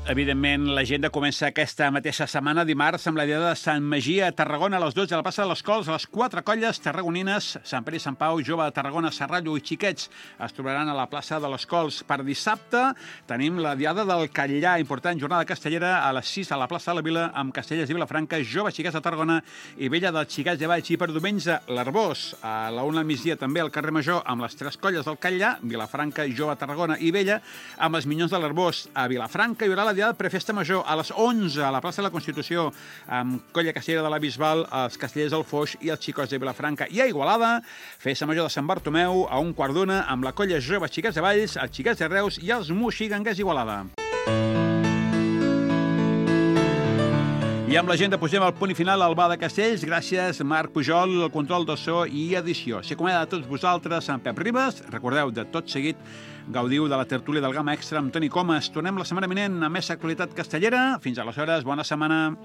Evidentment, l'agenda comença aquesta mateixa setmana, dimarts, amb la Diada de Sant Magí a Tarragona, a les dotze, a la plaça de les Cols, a les quatre colles tarragonines, Sant Pere i Sant Pau, Jove de Tarragona, Serrallo i Xiquets, es trobaran a la plaça de les Cols. Per dissabte tenim la Diada del Catllà, important jornada castellera, a les sis a la plaça de la Vila, amb Castellers i Vilafranca, Jove Xiquets de Tarragona i Vella dels Xiquets de Valls. I per diumenge, l'Arbós, a la una al migdia també al carrer Major, amb les tres colles del Catllà, Vilafranca, Jove de Tarragona i Vella, amb els Minyons de l'Arbós. A Vilafranca hi haurà la Diada de Prefesta Major a les onze a la plaça de la Constitució, amb Colla Castellera de la Bisbal, els Castellers del Foix i els Xicots de Vilafranca. I a Igualada, Festa Major de Sant Bartomeu a un quart d'una, amb la Colla Jove Xiquets de Valls, els Xiquets de Reus i els Moixiganguers Igualada. I amb l'agenda posem el punt i final al Bar de Castells. Gràcies, Marc Pujol, el control de so i edició. S'acomiada de tots vosaltres, en Pep Ribas. Recordeu, de tot seguit, gaudiu de la tertúlia del Gamma Extra amb Toni Comas. Tornem la setmana vinent amb més actualitat castellera. Fins aleshores, bona setmana.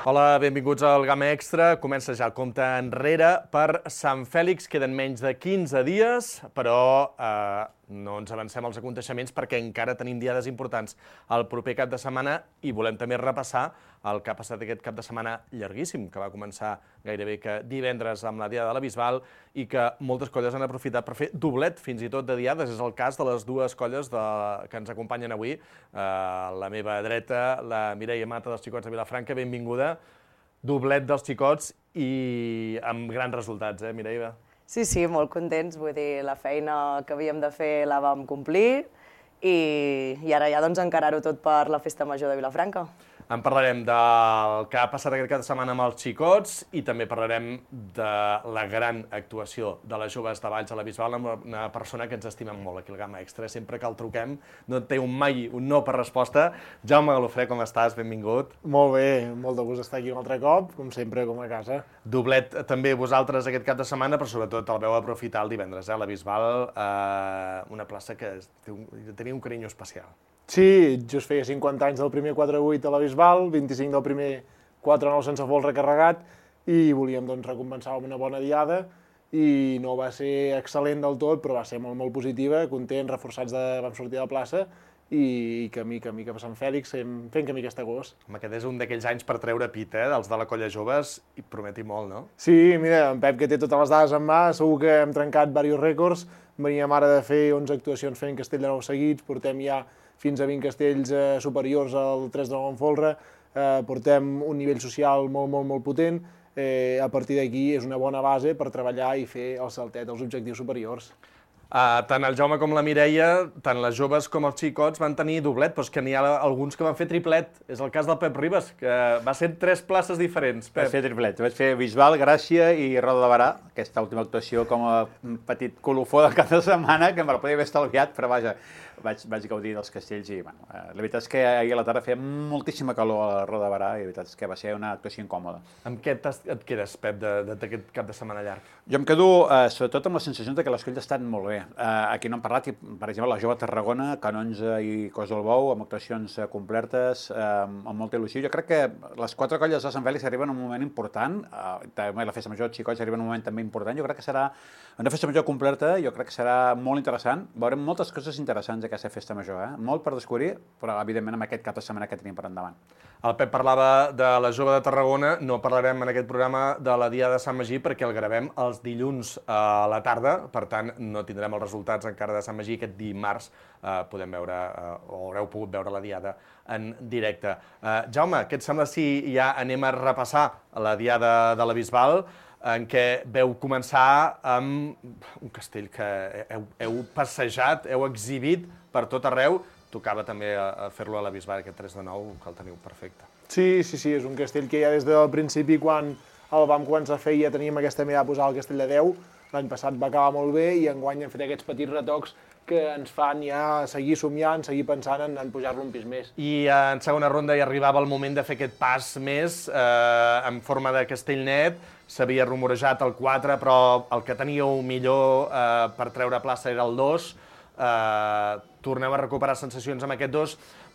Hola, benvinguts al Gamma Extra. Comença ja el compte enrere per Sant Fèlix. Queden menys de quinze dies, però eh, no ens avancem als aconteixements perquè encara tenim diades importants el proper cap de setmana i volem també repassar el que ha passat aquest cap de setmana llarguíssim, que va començar gairebé que divendres amb la Diada de la Bisbal i que moltes colles han aprofitat per fer doblet fins i tot de diades. És el cas de les dues colles de... que ens acompanyen avui. Eh, la meva dreta, la Mireia Mata dels Xicots de Vilafranca, benvinguda. Doblet dels Xicots i amb grans resultats, eh, Mireia? Sí, sí, molt contents. Vull dir, la feina que havíem de fer la vam complir i, i ara ja doncs encarar-ho tot per la Festa Major de Vilafranca. En parlarem del que ha passat aquest cap de setmana amb els Xicots i també parlarem de la gran actuació de les joves de Valls a la Bisbal, amb una persona que ens estimem molt aquí al Gamma Extra. Sempre que el truquem no té un mai un no per resposta. Jaume Galofré, com estàs? Benvingut. Molt bé, molt de gust estar aquí un altre cop, com sempre, com a casa. Doblet també vosaltres aquest cap de setmana, però sobretot el veu aprofitar el divendres, eh? La Bisbal, eh, una plaça que tenia un carinyo especial. Sí, just feia cinquanta anys del primer quatre vuit a la Bisbal, vint-i-cinc del primer quatre nou sense folre carregat, i volíem doncs, recompensar amb una bona diada, i no va ser excel·lent del tot, però va ser molt, molt positiva, contents, reforçats, de, vam sortir de la plaça, i camí, camí cap a Sant Fèlix, fent camí aquest agost. Home, aquest és un d'aquells anys per treure pit, eh, dels de la Colla Joves, i prometi molt, no? Sí, mira, en Pep, que té totes les dades en mà, segur que hem trencat diversos rècords, veníem ara de fer onze actuacions fent castell de nou seguits, portem ja fins a vint castells eh, superiors al tres de nou en folre, eh, portem un nivell social molt, molt, molt potent, eh, a partir d'aquí és una bona base per treballar i fer el saltet als objectius superiors. Uh, tant el Jaume com la Mireia, tant les joves com els Xicots van tenir doblet, però és que n'hi ha alguns que van fer triplet. És el cas del Pep Ribas, que va ser tres places diferents. Pep. Vaig fer triplet. Vaig fer Bisbal, Gràcia i Roda de Barà, aquesta última actuació com a petit colofó del cap de setmana, que me la podia haver estalviat, però vaja, vaig, vaig gaudir dels castells i, bueno, la veritat és que ahir a la tarda feia moltíssima calor a la Roda de Barà i la veritat és que va ser una actuació incòmoda. Amb què et quedes, Pep, d'aquest cap de setmana llarg? Jo em quedo, eh, sobretot, amb la sensació que les colles estan molt bé. Uh, aquí no hem parlat, per exemple, la Jove Tarragona, Canonja i Cos del Bou, amb actuacions uh, completes, uh, amb molta il·lusió. Jo crec que les quatre colles de Sant Fèlix arriben en un moment important, uh, també la Festa Major de Xicots arriba en un moment també important. Jo crec que serà una Festa Major completa, jo crec que serà molt interessant. Veurem moltes coses interessants d'aquesta Festa Major, eh? Molt per descobrir, però evidentment amb aquest cap de setmana que tenim per endavant. El Pep parlava de la Jove de Tarragona, no parlarem en aquest programa de la Diada de Sant Magí perquè el gravem els dilluns a la tarda, per tant no tindrem els resultats encara de Sant Magí, aquest dimarts eh, podem veure, eh, o haureu pogut veure la Diada en directe. Eh, Jaume, què et sembla si ja anem a repassar la Diada de la Bisbal, en què veu començar amb un castell que heu, heu passejat, heu exhibit per tot arreu. Tocava també a fer-lo a la Bisbal, aquest tres de nou, que el teniu perfecte. Sí, sí, sí, és un castell que ja des del principi, quan el vam començar a fer, ja teníem aquesta mirada a posar al castell de deu. L'any passat va acabar molt bé i enguany hem fet aquests petits retocs que ens fan ja seguir somiant, seguir pensant en, en pujar-lo un pis més. I en segona ronda ja arribava el moment de fer aquest pas més eh, en forma de castell net. S'havia rumorejat el quatre, però el que teníeu millor eh, per treure plaça era el dos. Uh, torneu a recuperar sensacions amb aquest dos,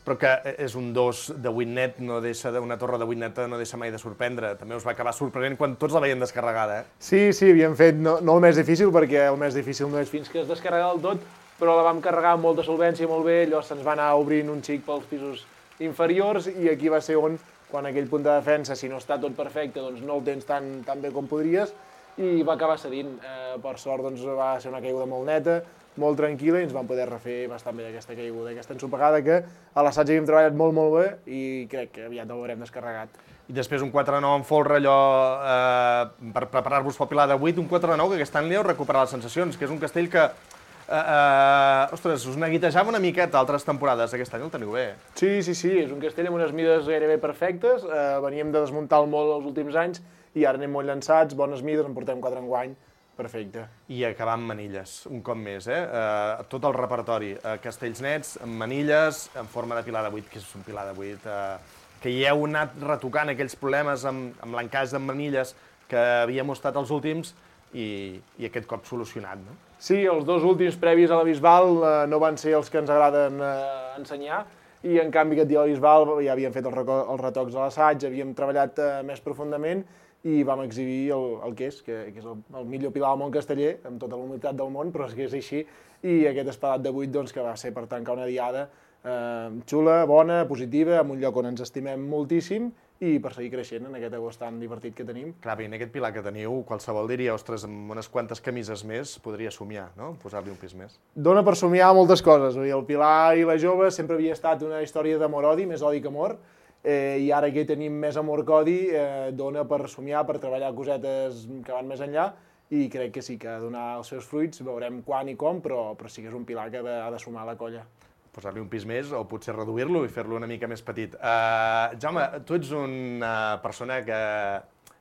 però que és un dos de vuit net, no deixa de, una torre de vuit neta no deixa mai de sorprendre. També us va acabar sorprenent quan tots la veien descarregada, eh? Sí, sí, havíem fet no, no el més difícil, perquè el més difícil no és fins que es descarrega del tot, però la vam carregar amb molta solvència, molt bé, allò se'ns va anar obrint un xic pels pisos inferiors i aquí va ser on, quan aquell punt de defensa, si no està tot perfecte, doncs no el tens tan, tan bé com podries, i va acabar cedint. Eh, per sort doncs, va ser una caiguda molt neta, molt tranquil·la, i ens vam poder refer bastant bé d'aquesta caiguda, aquesta ensopegada que a l'assaig havíem treballat molt, molt bé i crec que aviat el veurem descarregat. I després un quatre nou en folre, allò, eh, per preparar-vos pel Pilar de vuit, un quatre nou que aquest any li heu recuperat les sensacions, que és un castell que, eh, eh, ostres, us neguitejava una miqueta altres temporades, aquest any el teniu bé. Sí, sí, sí, és un castell amb unes mides gairebé perfectes, eh, veníem de desmuntar-lo molt els últims anys i ara anem molt llançats, bones mides, en portem quatre enguany. Perfecte. I acabar amb manilles, un cop més, eh? Uh, tot el repertori, uh, castells nets, amb manilles, en forma de pilar de vuit, que és un pilar de vuit, uh, que hi heu anat retocant aquells problemes amb, amb l'encaix de manilles que havíem mostrat els últims i, i aquest cop solucionat, no? Sí, els dos últims previs a la Bisbal uh, no van ser els que ens agraden uh, ensenyar, i en canvi aquest dia a la Bisbal ja havíem fet els, els retocs a l'assaig, havíem treballat uh, més profundament i vam exhibir el, el que és, que, que és el, el millor pilar del món casteller, amb tota la humilitat del món, però és que és així, i aquest espadat de vuit doncs, que va ser per tancar una diada eh, xula, bona, positiva, en un lloc on ens estimem moltíssim, i per seguir creixent en aquest agost tan divertit que tenim. Clar, bé, en aquest pilar que teniu, qualsevol diria, ostres, amb unes quantes camises més podria somiar, no?, posar-li un pis més. Dona per somiar moltes coses, el Pilar i la Jove sempre havia estat una història d'amor-odi, més odi que amor, Eh, i ara que tenim més amor que odi, eh, dona per somiar, per treballar cosetes que van més enllà, i crec que sí que ha de donar els seus fruits, veurem quan i com, però, però sí que és un pilar que ha de, ha de sumar a la colla. Posar-li un pis més o potser reduir-lo i fer-lo una mica més petit. Uh, Jaume, tu ets una persona que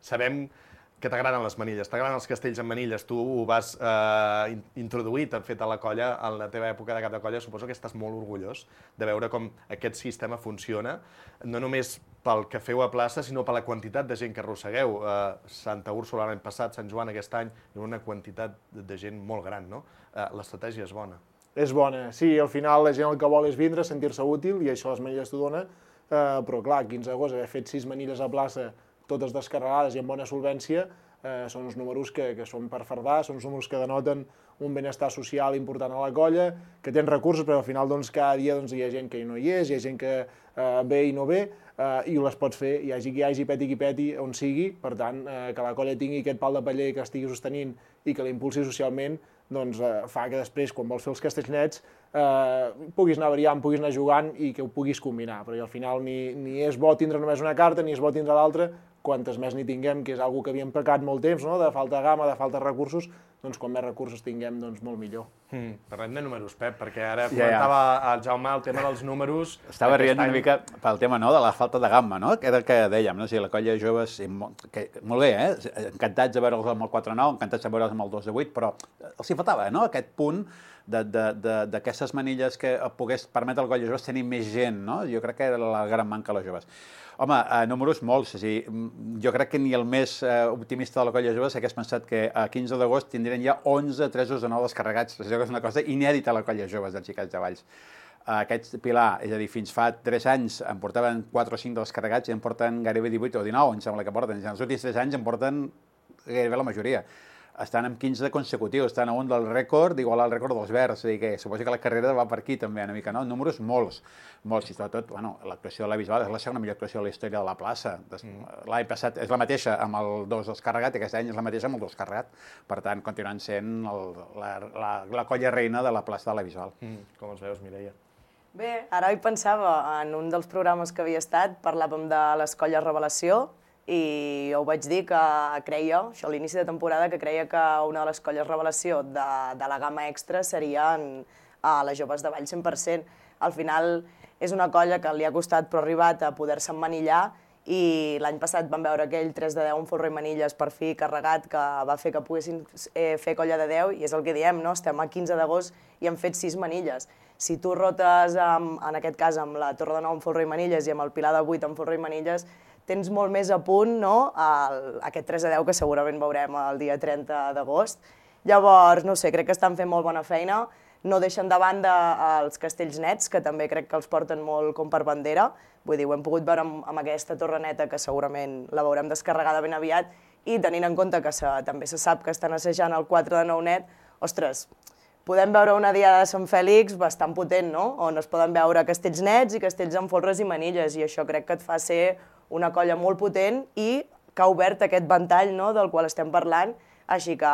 sabem que t'agraden les manilles, t'agraden els castells amb manilles, tu ho vas eh, introduir, t'han fet a la colla, en la teva època de cap de colla, suposo que estàs molt orgullós de veure com aquest sistema funciona, no només pel que feu a plaça, sinó per la quantitat de gent que arrossegueu. Eh, Santa Úrsula l'any passat, Sant Joan aquest any, hi ha una quantitat de gent molt gran, no? Eh, l'estratègia és bona. És bona, sí, al final la gent el que vol és vindre, sentir-se útil, i això les manilles t'ho dona, eh, però clar, quinze d'agost, haver fet sis manilles a plaça, totes descarregades i amb bona solvència, eh, són uns números que, que són per fardar, són uns números que denoten un benestar social important a la colla, que tens recursos, però al final doncs, cada dia doncs, hi ha gent que no hi és, hi ha gent que eh, ve i no ve, eh, i les pots fer, hi hagi qui hi hagi, peti qui peti, on sigui, per tant, eh, que la colla tingui aquest pal de paller que estigui sostenint i que l'impulsi socialment, doncs eh, fa que després, quan vols fer els castells nets, eh, puguis anar variant, puguis anar jugant i que ho puguis combinar, perquè al final ni, ni és bo tindre només una carta, ni és bo tindre l'altra, quantes més n'hi tinguem, que és una que havíem pecat molt temps, no? De falta de gamma, de falta de recursos, doncs quan més recursos tinguem, doncs molt millor. Mm, parlem de números, Pep, perquè ara comentava ja, ja. el Jaume el tema dels números... Estava rient any... una mica pel tema, no?, de la falta de gamma, no?, que era el que dèiem, no?, o sigui, la colla de joves, que, molt bé, eh?, encantats de veure'ls amb el quatre nou, encantats de veure'ls amb el dos de vuit, però els hi faltava, no?, aquest punt d'aquestes manilles que pogués permetre al colla de joves tenir més gent, no?, jo crec que era la gran manca a les joves. Home, eh, números molts, o sigui, jo crec que ni el més eh, optimista de la colla de joves hagués pensat que a quinze d'agost tindrien ja onze tresos de nou descarregats. Això és una cosa inèdita a la colla de joves dels Xicats de Valls. Aquest pilar, és a dir, fins fa tres anys en portaven quatre o cinc descarregats i en porten gairebé divuit o dinou, em sembla que porten. En els últims tres anys en porten gairebé la majoria. estan amb quinze consecutius, estan a un del rècord, d'igualar el rècord dels Verds, és a dir, que suposo que la carrera va per aquí també una mica, no? Números molts, molts, i sobretot, bueno, l'actuació de la Bisbal és la segona millor actuació de la història de la plaça. L'any passat és la mateixa amb el dos descarregat i aquest any és la mateixa amb el dos carregat. Per tant, continuen sent el, la, la, la colla reina de la plaça de la Bisbal. Mm, com els veus, Mireia? Bé, ara hi pensava, en un dels programes que havia estat, parlàvem de les colles revelació i jo ho vaig dir que creia, això a l'inici de temporada, que creia que una de les colles revelació de, de la gamma extra serien a les joves de Vall cent per cent. Al final és una colla que li ha costat però ha arribat a poder-se emmanillar i l'any passat vam veure aquell tres de deu amb Folro i Manilles per fi carregat que va fer que poguessin eh, fer colla de deu i és el que diem, no? Estem a quinze d'agost i hem fet sis manilles. Si tu rotes, amb, en aquest cas, amb la Torre de Nou amb Folro i Manilles i amb el Pilar de vuit amb Folro i Manilles, tens molt més a punt, no?, el, aquest tres de deu que segurament veurem el dia trenta d'agost. Llavors, no sé, crec que estan fent molt bona feina, no deixen de banda els castells nets, que també crec que els porten molt com per bandera, vull dir, ho hem pogut veure amb, amb aquesta torre neta, que segurament la veurem descarregada ben aviat, i tenint en compte que se, també se sap que estan assajant el quatre de nou net, ostres, podem veure una diada de Sant Fèlix bastant potent, no?, on es poden veure castells nets i castells amb folres i manilles, i això crec que et fa ser una colla molt potent i que ha obert aquest ventall, no?, del qual estem parlant, així que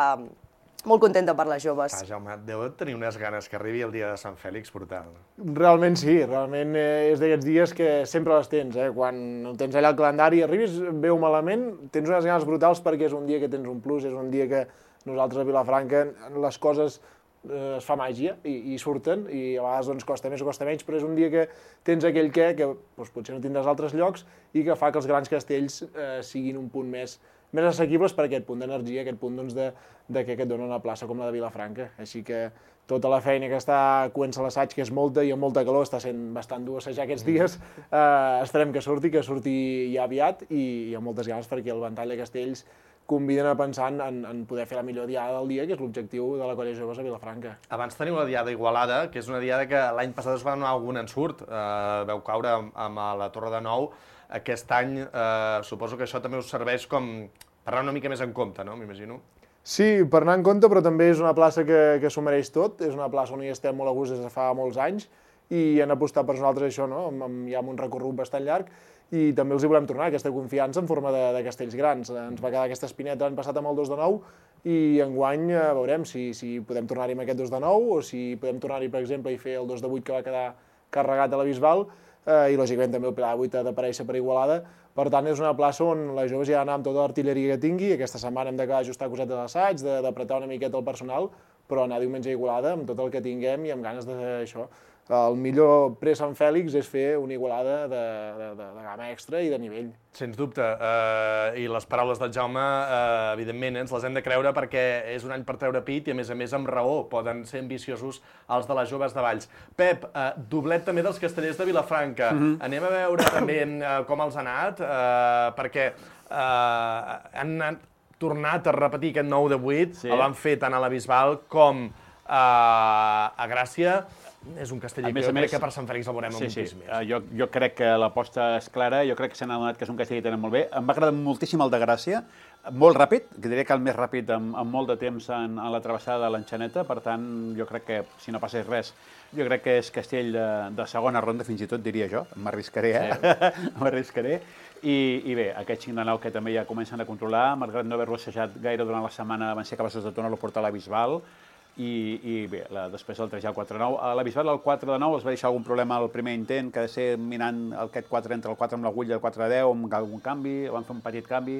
molt contenta per les joves. Ah, Jaume, deu tenir unes ganes que arribi el dia de Sant Fèlix brutal. Realment sí, realment eh, és d'aquests dies que sempre les tens, eh? Quan tens allà el calendari, arribis bé o malament, tens unes ganes brutals perquè és un dia que tens un plus, és un dia que nosaltres a Vilafranca les coses eh, es fa màgia i, i surten, i a vegades doncs, costa més o costa menys, però és un dia que tens aquell què que doncs, potser no tindràs altres llocs i que fa que els grans castells eh, siguin un punt més més assequibles per aquest punt d'energia, aquest punt doncs, de, de que et dona una plaça com la de Vilafranca. Així que tota la feina que està coent-se l'assaig, que és molta i amb molta calor, està sent bastant dur assajar aquests dies, eh, esperem que surti, que surti ja aviat i, i amb moltes ganes perquè el ventall de castells conviden a pensar en, en poder fer la millor diada del dia, que és l'objectiu de la colla joves a Vilafranca. Abans teniu la diada Igualada, que és una diada que l'any passat es va donar algun ensurt, eh, veu caure amb, amb la Torre de Nou. Aquest any eh, suposo que això també us serveix com per anar una mica més en compte, no? M'imagino. Sí, per anar en compte, però també és una plaça que, que s'ho mereix tot, és una plaça on hi estem molt a gust des de fa molts anys i han apostat per nosaltres això, no? Amb, amb, ja amb un recorregut bastant llarg i també els hi volem tornar aquesta confiança en forma de, de castells grans. Ens va quedar aquesta espineta l'any passat amb el dos de nou i enguany eh, veurem si, si podem tornar-hi amb aquest dos de nou o si podem tornar-hi, per exemple, i fer el dos de vuit que va quedar carregat a la Bisbal, eh, i lògicament també el Pilar de vuit ha d'aparèixer per Igualada. Per tant, és una plaça on les joves ja han d'anar amb tota l'artilleria que tingui. Aquesta setmana hem d'acabar d'ajustar cosetes d'assaig, d'apretar una miqueta el personal, però anar diumenge a Igualada amb tot el que tinguem i amb ganes d'això. El millor pre-Sant Fèlix és fer una Igualada de, de, de, de gamma extra i de nivell. Sens dubte, eh, i les paraules del Jaume, eh, evidentment, ens les hem de creure perquè és un any per treure pit i, a més a més, amb raó, poden ser ambiciosos els de les joves de Valls. Pep, eh, doblet també dels castellers de Vilafranca. Mm-hmm. Anem a veure també eh, com els ha anat, eh, perquè eh, han anat, tornat a repetir aquest nou de vuit, sí. El van fer tant a la Bisbal com eh, a Gràcia. És un castell que jo crec que per Sant Fèlix el veurem sí, moltíssim sí. més. Uh, jo, jo crec que l'aposta és clara, jo crec que s'han adonat que és un castell que tenen molt bé. Em va agradar moltíssim el de Gràcia, molt ràpid, que diria que el més ràpid en, en molt de temps en, en la travessada de l'Enxaneta, per tant, jo crec que, si no passés res, jo crec que és castell de, de segona ronda, fins i tot diria jo, m'arriscaré, eh? Sí. M'arriscaré. I, I bé, aquest cinc de nou que també ja comencen a controlar, malgrat no haver-lo assajat gaire durant la setmana, van ser capaços de tornar-lo a portar a la Bisbal. I, i bé, la, després el tres i el quatre de nou. A la Bisbal el quatre de nou els va deixar algun problema al primer intent, que ha de ser minant aquest quatre entre el quatre amb l'agulla i el quatre de deu, amb algun canvi, van fer un petit canvi,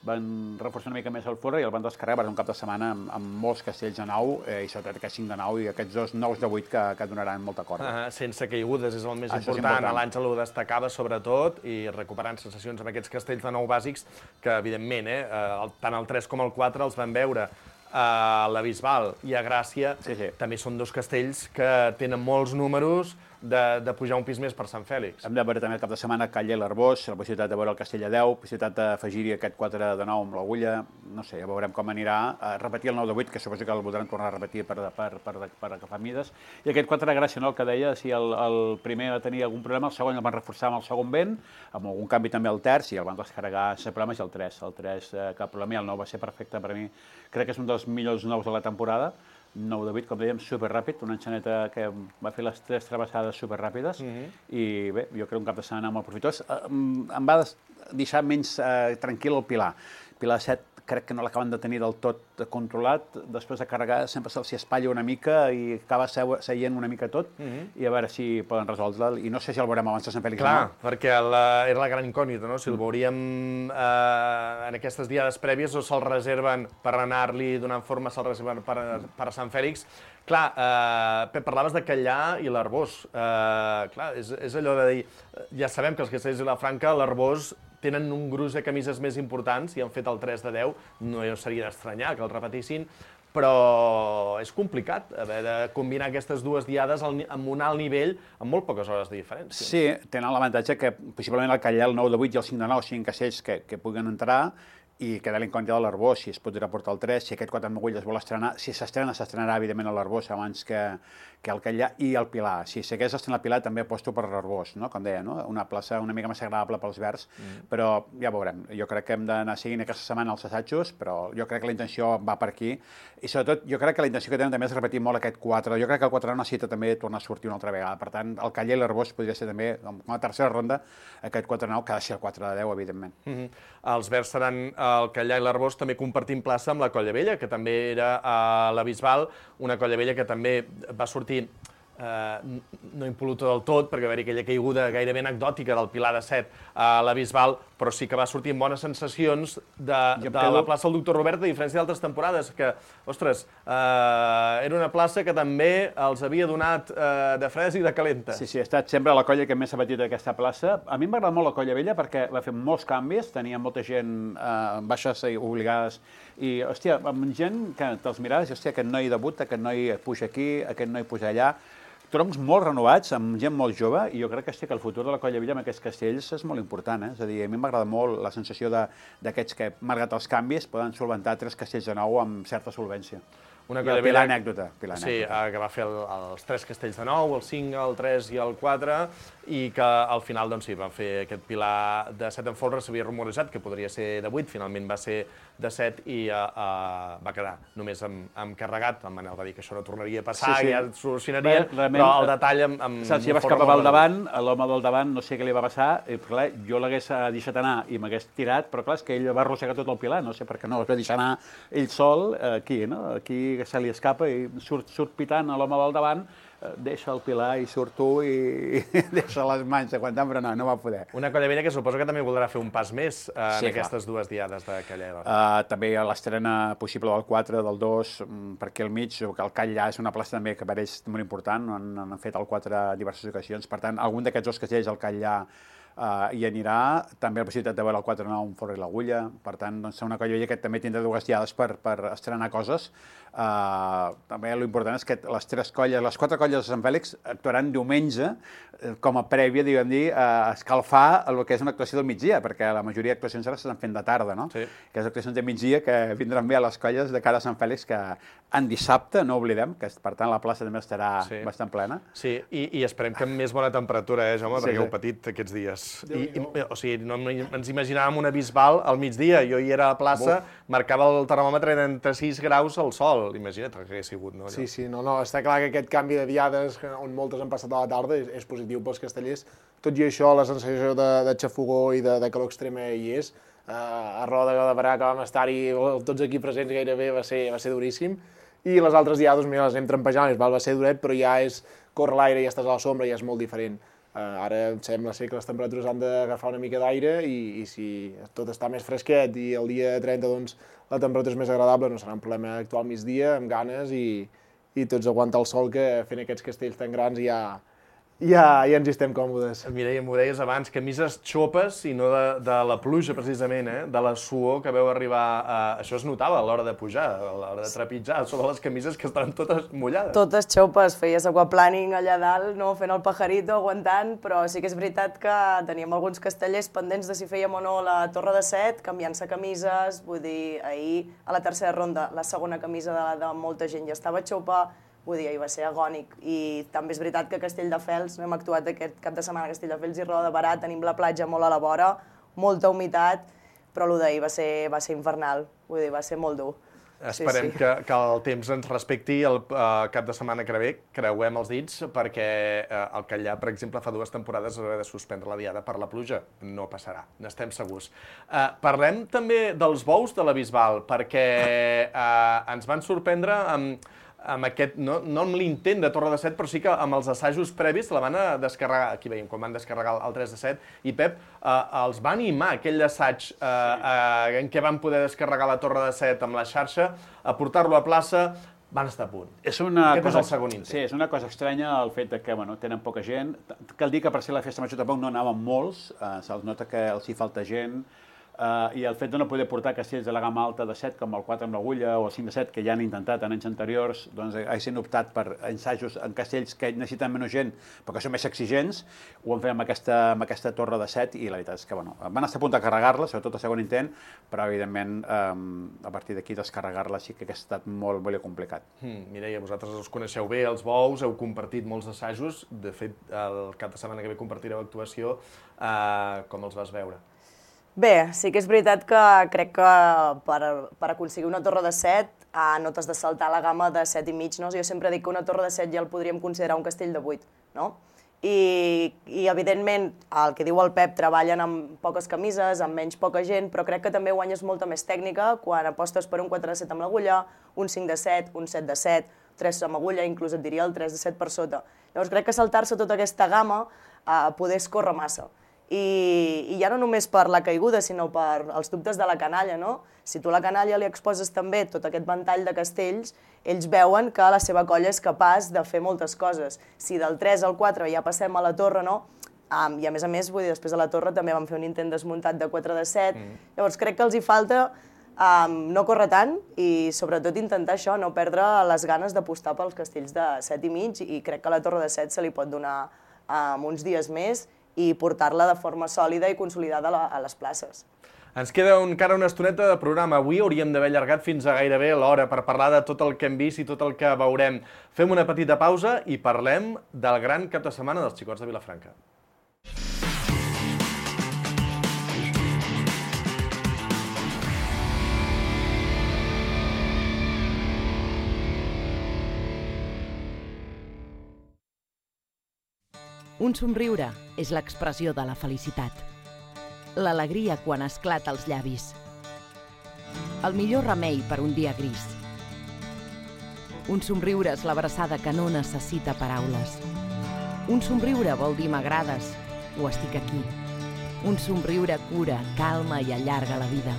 van reforçar una mica més el folre i el van descarregar per un cap de setmana amb, amb molts castells de nou, eh, i sobretot aquest cinc de nou i aquests dos nous de vuit que, que donaran molta corda. Uh, sense caigudes és el més Això important. important. L'Àngel ho destacava sobretot i recuperant sensacions amb aquests castells de nou bàsics que, evidentment, eh, tant el tres com el quatre els van veure a la Bisbal i a Gràcia, sí, sí. També són dos castells que tenen molts números, de, de pujar un pis més per Sant Fèlix. Hem de veure també el cap de setmana Calla i l'Arbós, la possibilitat de veure el Castell de deu, possibilitat d'afegir-hi aquest quatre de nou amb l'Agulla, no sé, ja veurem com anirà. A repetir el nou de vuit, que suposo que el voldran tornar a repetir per, per, per, per agafar mides. I aquest quatre de gràcia, no, el que deia, si el, el primer va tenir algun problema, el segon el van reforçar amb el segon vent, amb algun canvi també al terç, i el van descarregar sense problemes, i el tres, el tres eh, cap problema, i el nou va ser perfecte per a mi. Crec que és un dels millors nous de la temporada. nou de vuit, com dèiem, superràpid, una enxaneta que va fer les tres travessades superràpides, mm-hmm. i bé, jo crec un cap de setmana molt profitós. Em va deixar menys eh, tranquil el Pilar. Pilar set crec que no l'acaben de tenir del tot controlat, després de carregar sempre se'ls espatlla una mica i acaba seient una mica tot, mm-hmm. i a veure si poden resoldre'l, i no sé si el veurem abans de Sant Fèlix. Clar, no? Perquè la, era la gran incògnita, no? Si el veuríem eh, en aquestes diades prèvies o se'l reserven per anar-li donant forma, se'l reserven per, per Sant Fèlix. Clar, eh, Pep, parlaves de Callà i l'Arbós. Eh, clar, és, és allò de dir, ja sabem que els Castells i la Franca, l'Arbós, tenen un gruix de camises més importants i han fet el tres de deu, no seria d'estranyar que el repetissin, però és complicat haver de combinar aquestes dues diades amb un alt nivell amb molt poques hores de diferència. Sí, tenen l'avantatge que possiblement el Callà, el nou de vuit i el cinc de nou siguin castells que, que puguen entrar, i queda l'incògnita de l'Arbós, si es podrà portar el tres, si aquest quatre amb agulla es vol estrenar, si s'estrena, s'estrenarà evidentment a l'Arbós abans que, que el Callà i el Pilar. Si s'hagués estrenat el Pilar també aposto per l'Arbós, no? Com deia, no? Una plaça una mica més agradable pels verds, mm. però ja veurem. Jo crec que hem d'anar seguint aquesta setmana els assajos, però jo crec que la intenció va per aquí, i sobretot jo crec que la intenció que tenen també és repetir molt aquest quatre. Jo crec que el quatre necessita també tornar a sortir una altra vegada. Per tant, el Callà i l'Arbós podria ser també, com a tercera ronda, aquest quatre nou, que ha de ser el quatre de deu, evidentment. Mm-hmm. Els verds seran el Callà i l'Arbós, també compartim plaça amb la Colla Vella, que també era a la Bisbal, una Colla Vella que també va sortir eh, no impol·luta del tot, perquè va haver-hi aquella caiguda gairebé anecdòtica del Pilar de set a la Bisbal, però sí que va sortir amb bones sensacions de, de quedo... la plaça del Doctor Robert, a diferència d'altres temporades, que, ostres, eh, era una plaça que també els havia donat eh, de fresc i de calenta. Sí, sí, ha estat sempre la colla que més s'ha patit d'aquesta plaça. A mi m'agrada molt la Colla Vella perquè va fer molts canvis, tenia molta gent eh, baixes i obligades, i, hòstia, amb gent que te'ls miraves, i, hòstia, aquest noi debuta, aquest noi puja aquí, aquest noi puja allà, troncs molt renovats, amb gent molt jove, i jo crec que, sí, que el futur de la Colla Vella amb aquests castells és molt important. Eh? És a dir, a mi m'agrada molt la sensació d'aquests que, malgrat els canvis, poden solventar tres castells de nou amb certa solvència. Una I el Pilar anècdota. Pilar sí, anècdota. Que va fer el, els tres castells de nou, el cinc, el tres i el quatre, i que al final, doncs sí, van fer aquest Pilar de set en folre, s'havia rumorejat que podria ser de vuit, finalment va ser de set i uh, uh, va quedar només amb, amb carregat. En Manel va dir que això no tornaria a passar, sí, sí. Ja es solucionaria, Bé, però el detall amb... amb saps, si vas cap al davant, l'home del davant no sé què li va passar, i clar, jo l'hagués deixat anar i m'hagués tirat, però clar, és que ell va arrossegar tot el Pilar, no sé per què no, es va deixar anar ell sol aquí, no? Aquí que se li escapa i surt, surt pitant a l'home del davant, deixa el Pilar i surt tu i deixa les mans aguantant, però no, no va poder. Una Colla Vella que suposo que també voldrà fer un pas més eh, en sí, aquestes clar. dues diades de Callà. Uh, també hi ha l'estrena possible del quatre, del dos, per aquí al mig, que el Callà és una plaça també que per ells molt important, han, han fet el quatre a diverses ocasions, per tant, algun d'aquests dos castells al Callà Uh, hi anirà, també la possibilitat de veure el quatre nou amb Forra i l'Agulla, per tant, doncs, una Colla Vella que també tindrà dues diades per, per estrenar coses. Uh, també l'important és que les tres colles, les quatre colles de Sant Fèlix actuaran diumenge eh, com a prèvia, diguem dir, a escalfar el que és una actuació del migdia, perquè la majoria d'actuacions ara s'estan fent de tarda, no? Sí. Que és actuacions de migdia que vindran bé a les colles de cara a Sant Fèlix, que en dissabte, no oblidem, que per tant la plaça també estarà sí. bastant plena. Sí, i, i esperem que amb més bona temperatura, eh, Jaume, sí, perquè sí. heu patit aquests dies. I, i, o sigui, no ens imaginàvem una Bisbal al migdia, jo hi era a la plaça, Buf. marcava el termòmetre trenta-sis graus al sol, imagina't el que hagués sigut, no? Sí, sí, no, no, està clar que aquest canvi de diades, on moltes han passat a la tarda, és, és positiu pels castellers, tot i això, la sensació de, de xafogó i de, de calor extrema hi és, uh, a Roda de Barà, que vam estar-hi tots aquí presents gairebé, va ser, va ser duríssim, i les altres diades, mira, les anem trampejant, va ser duret, però ja és córrer l'aire, ja estàs a la sombra, ja és molt diferent. Uh, ara em sembla ser que les temperatures han d'agafar una mica d'aire i, i si tot està més fresquet i el dia trenta doncs, la temperatura és més agradable, no serà un problema actuar al migdia, amb ganes i, i tots aguantar el sol, que fent aquests castells tan grans ja, ja, ja ens hi estem còmodes. Mireia, m'ho deies abans, camises xopes i no de, de la pluja, precisament, eh? De la suor que veu arribar... A... Això es notava a l'hora de pujar, a l'hora de trepitjar, sobre les camises que estaven totes mullades. Totes xopes, feies aquaplaning allà dalt, no? Fent el pajarito, aguantant, però sí que és veritat que teníem alguns castellers pendents de si fèiem o no la Torre de Set, canviant-se camises, vull dir, ahir a la tercera ronda, la segona camisa de, de molta gent ja estava xopa, vull dir, ahir va ser agònic. I també és veritat que a Castelldefels, no hem actuat aquest cap de setmana a Castelldefels i Roda de Barà, tenim la platja molt a la vora, molta humitat, però el d'ahir va ser, va ser infernal, vull dir, va ser molt dur. Esperem sí, sí. Que, que el temps ens respecti el uh, cap de setmana que ve, creuem els dits, perquè uh, el Catllà, per exemple, fa dues temporades haurà de suspendre la diada per la pluja. No passarà, n'estem segurs. Uh, parlem també dels bous de la Bisbal, perquè uh, ens van sorprendre amb, amb aquest, no, no amb l'intent de Torre de Set, però sí que amb els assajos previs la van descarregar, aquí veiem, quan van descarregar el tres de set, i Pep, eh, els va animar aquell assaig eh, eh, en què van poder descarregar la Torre de Set amb la xarxa, a portar-lo a plaça, van estar a punt. És una Aquest cosa, és el segon intent. Sí, és una cosa estranya el fet de que bueno, tenen poca gent. Cal dir que per ser la festa major tampoc no anaven molts, eh, se'ls nota que els hi falta gent, Uh, i el fet de no poder portar castells de la gamma alta de set, com el quatre amb l'agulla o el cinc de set, que ja han intentat en anys anteriors, doncs haguessin optat per ensajos en castells que necessiten menys gent, però que són més exigents, ho han fet amb aquesta, amb aquesta torre de set, i la veritat és que bueno, van estar a punt de carregar-la, sobretot el segon intent, però evidentment um, a partir d'aquí descarregar-la sí que ha estat molt, molt complicat. Hmm, Mireia, vosaltres els coneixeu bé, els bous, heu compartit molts assajos, de fet el cap de setmana que ve compartireu actuació, uh, com els vas veure? Bé, sí que és veritat que crec que per, per aconseguir una torre de set eh, no t'has de saltar la gamma de set i mig, no? Jo sempre dic que una torre de set ja el podríem considerar un castell de vuit, no? I, i evidentment, el que diu el Pep, treballen amb poques camises, amb menys poca gent, però crec que també guanyes molta més tècnica quan apostes per un quatre de set amb l'agulla, un cinc de set, un set de set, tres amb agulla, inclús et diria el tres de set per sota. Llavors crec que saltar-se tota aquesta gamma eh, poder escórrer massa. I, i ja no només per la caiguda, sinó per els dubtes de la canalla, no? Si tu a la canalla li exposes també tot aquest ventall de castells, ells veuen que la seva colla és capaç de fer moltes coses. Si del tres al quatre ja passem a la torre, no? Um, I a més a més, vull dir, després de la torre també vam fer un intent desmuntat de quatre de set, mm. Llavors crec que els hi falta um, no córrer tant i sobretot intentar això, no perdre les ganes d'apostar pels castells de set i mig, i crec que a la torre de set se li pot donar um, uns dies més i portar-la de forma sòlida i consolidada a les places. Ens queda encara una estoneta de programa. Avui hauríem d'haver allargat fins a gairebé l'hora per parlar de tot el que hem vist i tot el que veurem. Fem una petita pausa i parlem del gran cap de setmana dels xicots de Vilafranca. Un somriure és l'expressió de la felicitat. L'alegria quan esclata als llavis. El millor remei per un dia gris. Un somriure és l'abraçada que no necessita paraules. Un somriure vol dir m'agrades o estic aquí. Un somriure cura, calma i allarga la vida.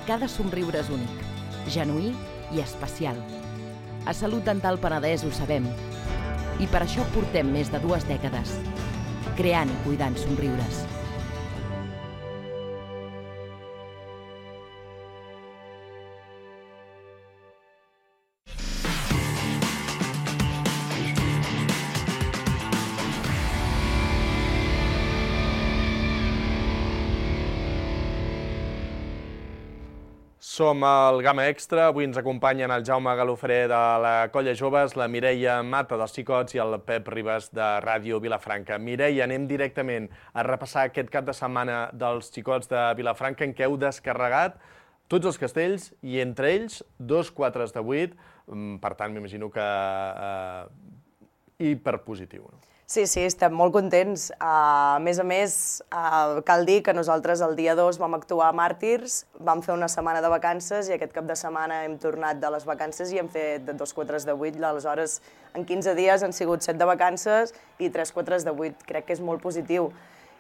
Cada somriure és únic, genuí i especial. A Salut Dental Penedès ho sabem. I per això portem més de dues dècades, creant i cuidant somriures. Som al Gamma Extra, avui ens acompanyen el Jaume Galofré de la Colla Joves, la Mireia Mata dels Xicots i el Pep Ribas de Ràdio Vilafranca. Mireia, anem directament a repassar aquest cap de setmana dels Xicots de Vilafranca en què heu descarregat tots els castells i entre ells dos quatres de vuit, per tant m'imagino que eh, hiperpositiu. Sí, sí, estem molt contents. A més a més, cal dir que nosaltres el dia dos vam actuar a Màrtirs, vam fer una setmana de vacances i aquest cap de setmana hem tornat de les vacances i hem fet dos quatres de vuit. Aleshores, en quinze dies han sigut set de vacances i tres quatres de vuit. Crec que és molt positiu.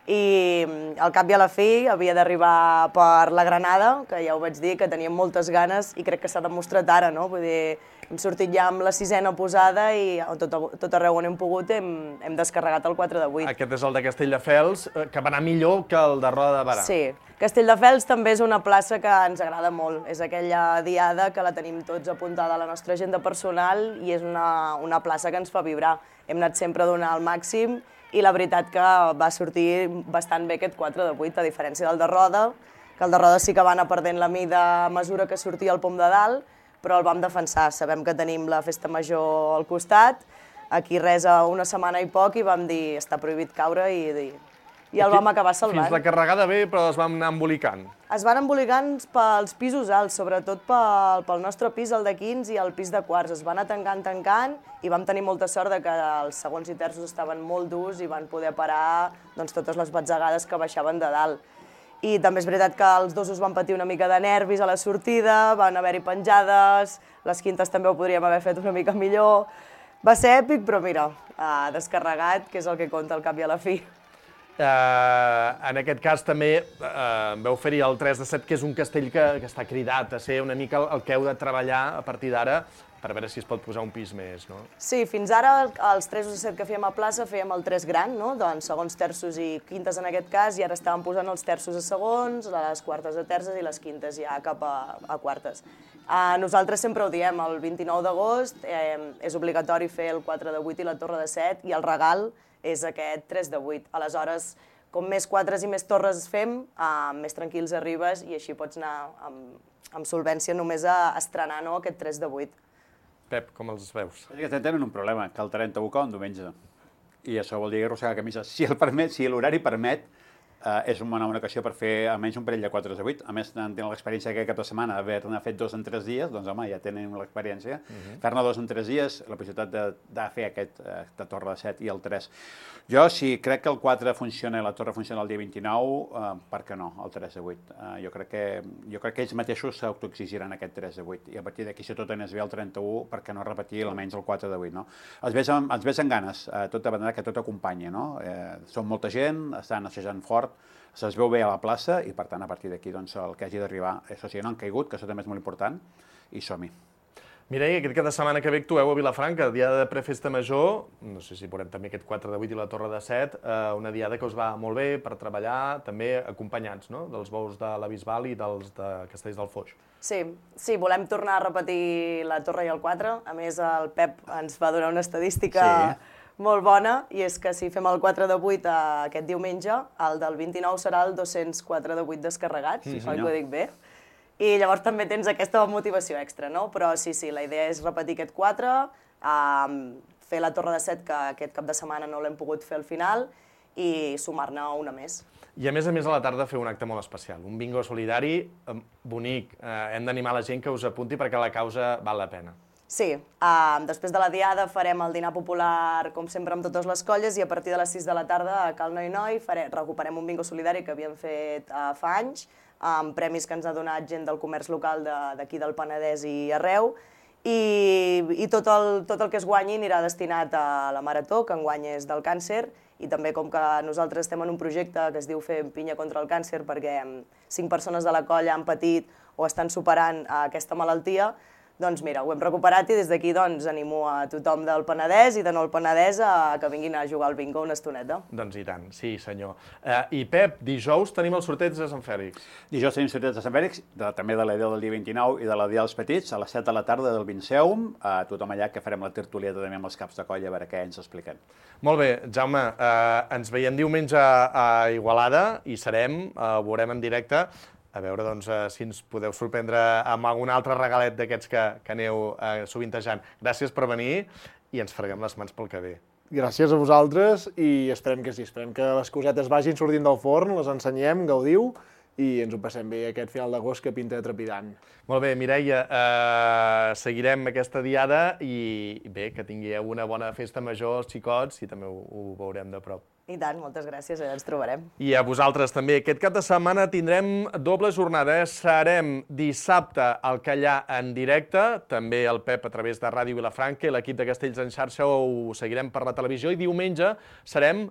I al cap i a la fi havia d'arribar per la Granada, que ja ho vaig dir, que teníem moltes ganes i crec que s'ha demostrat ara, no? Vull dir, hem sortit ja amb la sisena posada i tot, tot arreu on hem pogut hem, hem descarregat el quatre de vuit. Aquest és el de Castelldefels, que va anar millor que el de Roda de Barà. Sí, Castelldefels també és una plaça que ens agrada molt. És aquella diada que la tenim tots apuntada a la nostra agenda personal i és una, una plaça que ens fa vibrar. Hem anat sempre a donar el màxim i la veritat que va sortir bastant bé aquest quatre de vuit, a diferència del de Roda, que el de Roda sí que va anar perdent la mida a mesura que sortia el pom de dalt, però el vam defensar. Sabem que tenim la festa major al costat, aquí res a una setmana i poc, i vam dir està prohibit caure i, i el vam acabar salvant. Fins la carregada bé, però es vam anar embolicant. Es van embolicant pels pisos alts, sobretot pel, pel nostre pis, el de quinze i el pis de quarts. Es van anar tancant, tancant, i vam tenir molta sort de que els segons i terços estaven molt durs i van poder parar doncs, totes les batzegades que baixaven de dalt. I també és veritat que els dosos van patir una mica de nervis a la sortida, van haver-hi penjades, les quintes també ho podríem haver fet una mica millor. Va ser èpic, però mira, uh, descarregat, que és el que compta al cap i a la fi. Uh, en aquest cas també uh, veu fer-hi el tres de set, que és un castell que, que està cridat a ser una mica el, el que heu de treballar a partir d'ara per veure si es pot posar un pis més, no? Sí, fins ara els tres de set que fèiem a plaça fèiem el tres gran, no? Doncs segons, terços i quintes en aquest cas, i ara estàvem posant els terços a segons, les quartes a terces i les quintes ja cap a, a quartes. Uh, nosaltres sempre ho diem, el vint-i-nou d'agost eh, és obligatori fer el quatre de vuit i la torre de set, i el regal és aquest tres de vuit. Aleshores, com més quatres i més torres fem, uh, més tranquils arribes i així pots anar amb, amb solvència només a estrenar, no, aquest tres de vuit. Pep, com els veus? És que tenen un problema, que el trenta-u cau en diumenge. I això vol dir arrossegar camises. Si el permet, si l'horari permet, eh, és una bona ocasió per fer almenys un parell de quatre de vuit. A més, tenen l'experiència que cap de setmana d'haver-ne fet dos en tres dies, doncs home, ja tenen l'experiència. Uh-huh. Fer-ne dos en tres dies, la possibilitat de, de fer aquest eh, de torre de set i el tres. Jo, si crec que el quatre funciona i la torre funciona el dia vint-i-nou, eh, per què no, el tres de vuit? Eh, jo, crec que, jo crec que ells mateixos s'autoexigiran aquest tres de vuit. I a partir d'aquí, si tot anés bé el trenta-u, per què no repetir almenys el quatre de vuit, no? Els ves amb, els ves amb ganes, eh, tot de manera que tot acompanya, no? Eh, són molta gent, estan assajant fort, se'ls veu bé a la plaça i, per tant, a partir d'aquí, doncs, el que hagi d'arribar, això sí, no han caigut, que això també és molt important, i som-hi. Mireia, aquest cap de setmana que ve actueu a Vilafranca, diada de prefesta major, no sé si veurem també aquest quatre de vuit i la torre de set, eh, una diada que us va molt bé per treballar, també acompanyats, no?, dels bous de la Bisbal i dels de Castells del Foix. Sí, sí, volem tornar a repetir la torre i el quatre. A més, el Pep ens va donar una estadística sí. molt bona, i és que si fem el quatre de vuit aquest diumenge, el del vint-i-nou serà el dos-cents quatre de vuit descarregat, sí, oi que ho dic bé? I llavors també tens aquesta motivació extra, no? Però sí, sí, la idea és repetir aquest quatre, um, fer la torre de set, que aquest cap de setmana no l'hem pogut fer al final, i sumar-ne una més. I a més a més a la tarda fer un acte molt especial, un bingo solidari bonic. Eh, hem d'animar la gent que us apunti perquè la causa val la pena. Sí, uh, després de la diada farem el dinar popular, com sempre, amb totes les colles, i a partir de les sis de la tarda a Cal Noi Noi farem, recuperem un bingo solidari que havíem fet uh, fa anys, amb premis que ens ha donat gent del comerç local d'aquí de, del Penedès i arreu, i, i tot, el, tot el que es guanyi anirà destinat a la Marató, que enguany és del càncer, i també com que nosaltres estem en un projecte que es diu Fem pinya contra el càncer, perquè cinc persones de la colla han patit o estan superant aquesta malaltia, doncs mira, ho hem recuperat, i des d'aquí doncs, animo a tothom del Penedès i de no el Penedès a que vinguin a jugar al bingo una estoneta. Doncs i tant, sí senyor. Eh, I Pep, dijous tenim el sorteig de Sant Fèlix. Dijous tenim sorteig de Sant Fèlix, de, també de la Dia del dia vint-i-nou i de la Dia dels Petits, a les set de la tarda del Vinceum, a tothom allà que farem la tertulieta també amb els caps de colla, a veure què ens expliquen. Molt bé, Jaume, eh, ens veiem diumenge a Igualada i serem, eh, ho veurem en directe, a veure doncs, si ens podeu sorprendre amb algun altre regalet d'aquests que, que aneu eh, sovintejant. Gràcies per venir i ens freguem les mans pel que ve. Gràcies a vosaltres i esperem que sí, esperem que les cosetes vagin sortint del forn, les ensenyem, gaudiu i ens ho passem bé aquest final d'agost que pinta trepidant. Molt bé, Mireia, eh, seguirem aquesta diada i bé, que tingueu una bona festa major als xicots i també ho, ho veurem de prop. I tant, moltes gràcies, ja ens trobarem. I a vosaltres també. Aquest cap de setmana tindrem doble jornada. Serem dissabte al Callà en directe, també el Pep a través de Ràdio Vilafranca i l'equip de Castells en xarxa ho seguirem per la televisió, i diumenge serem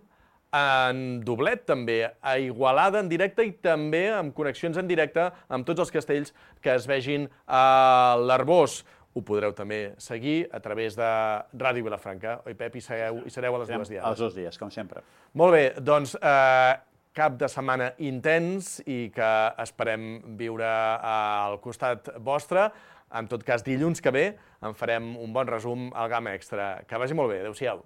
en doblet també, a Igualada en directe i també amb connexions en directe amb tots els castells que es vegin a l'Arbós. ho podreu també seguir a través de Ràdio Vilafranca. Oi, Pep, hi sereu, hi sereu a les dues diades? Els dos dies, com sempre. Molt bé, doncs eh, cap de setmana intens i que esperem viure al costat vostre. En tot cas, dilluns que ve en farem un bon resum al Gamma Extra. Que vagi molt bé. Adéu-siau.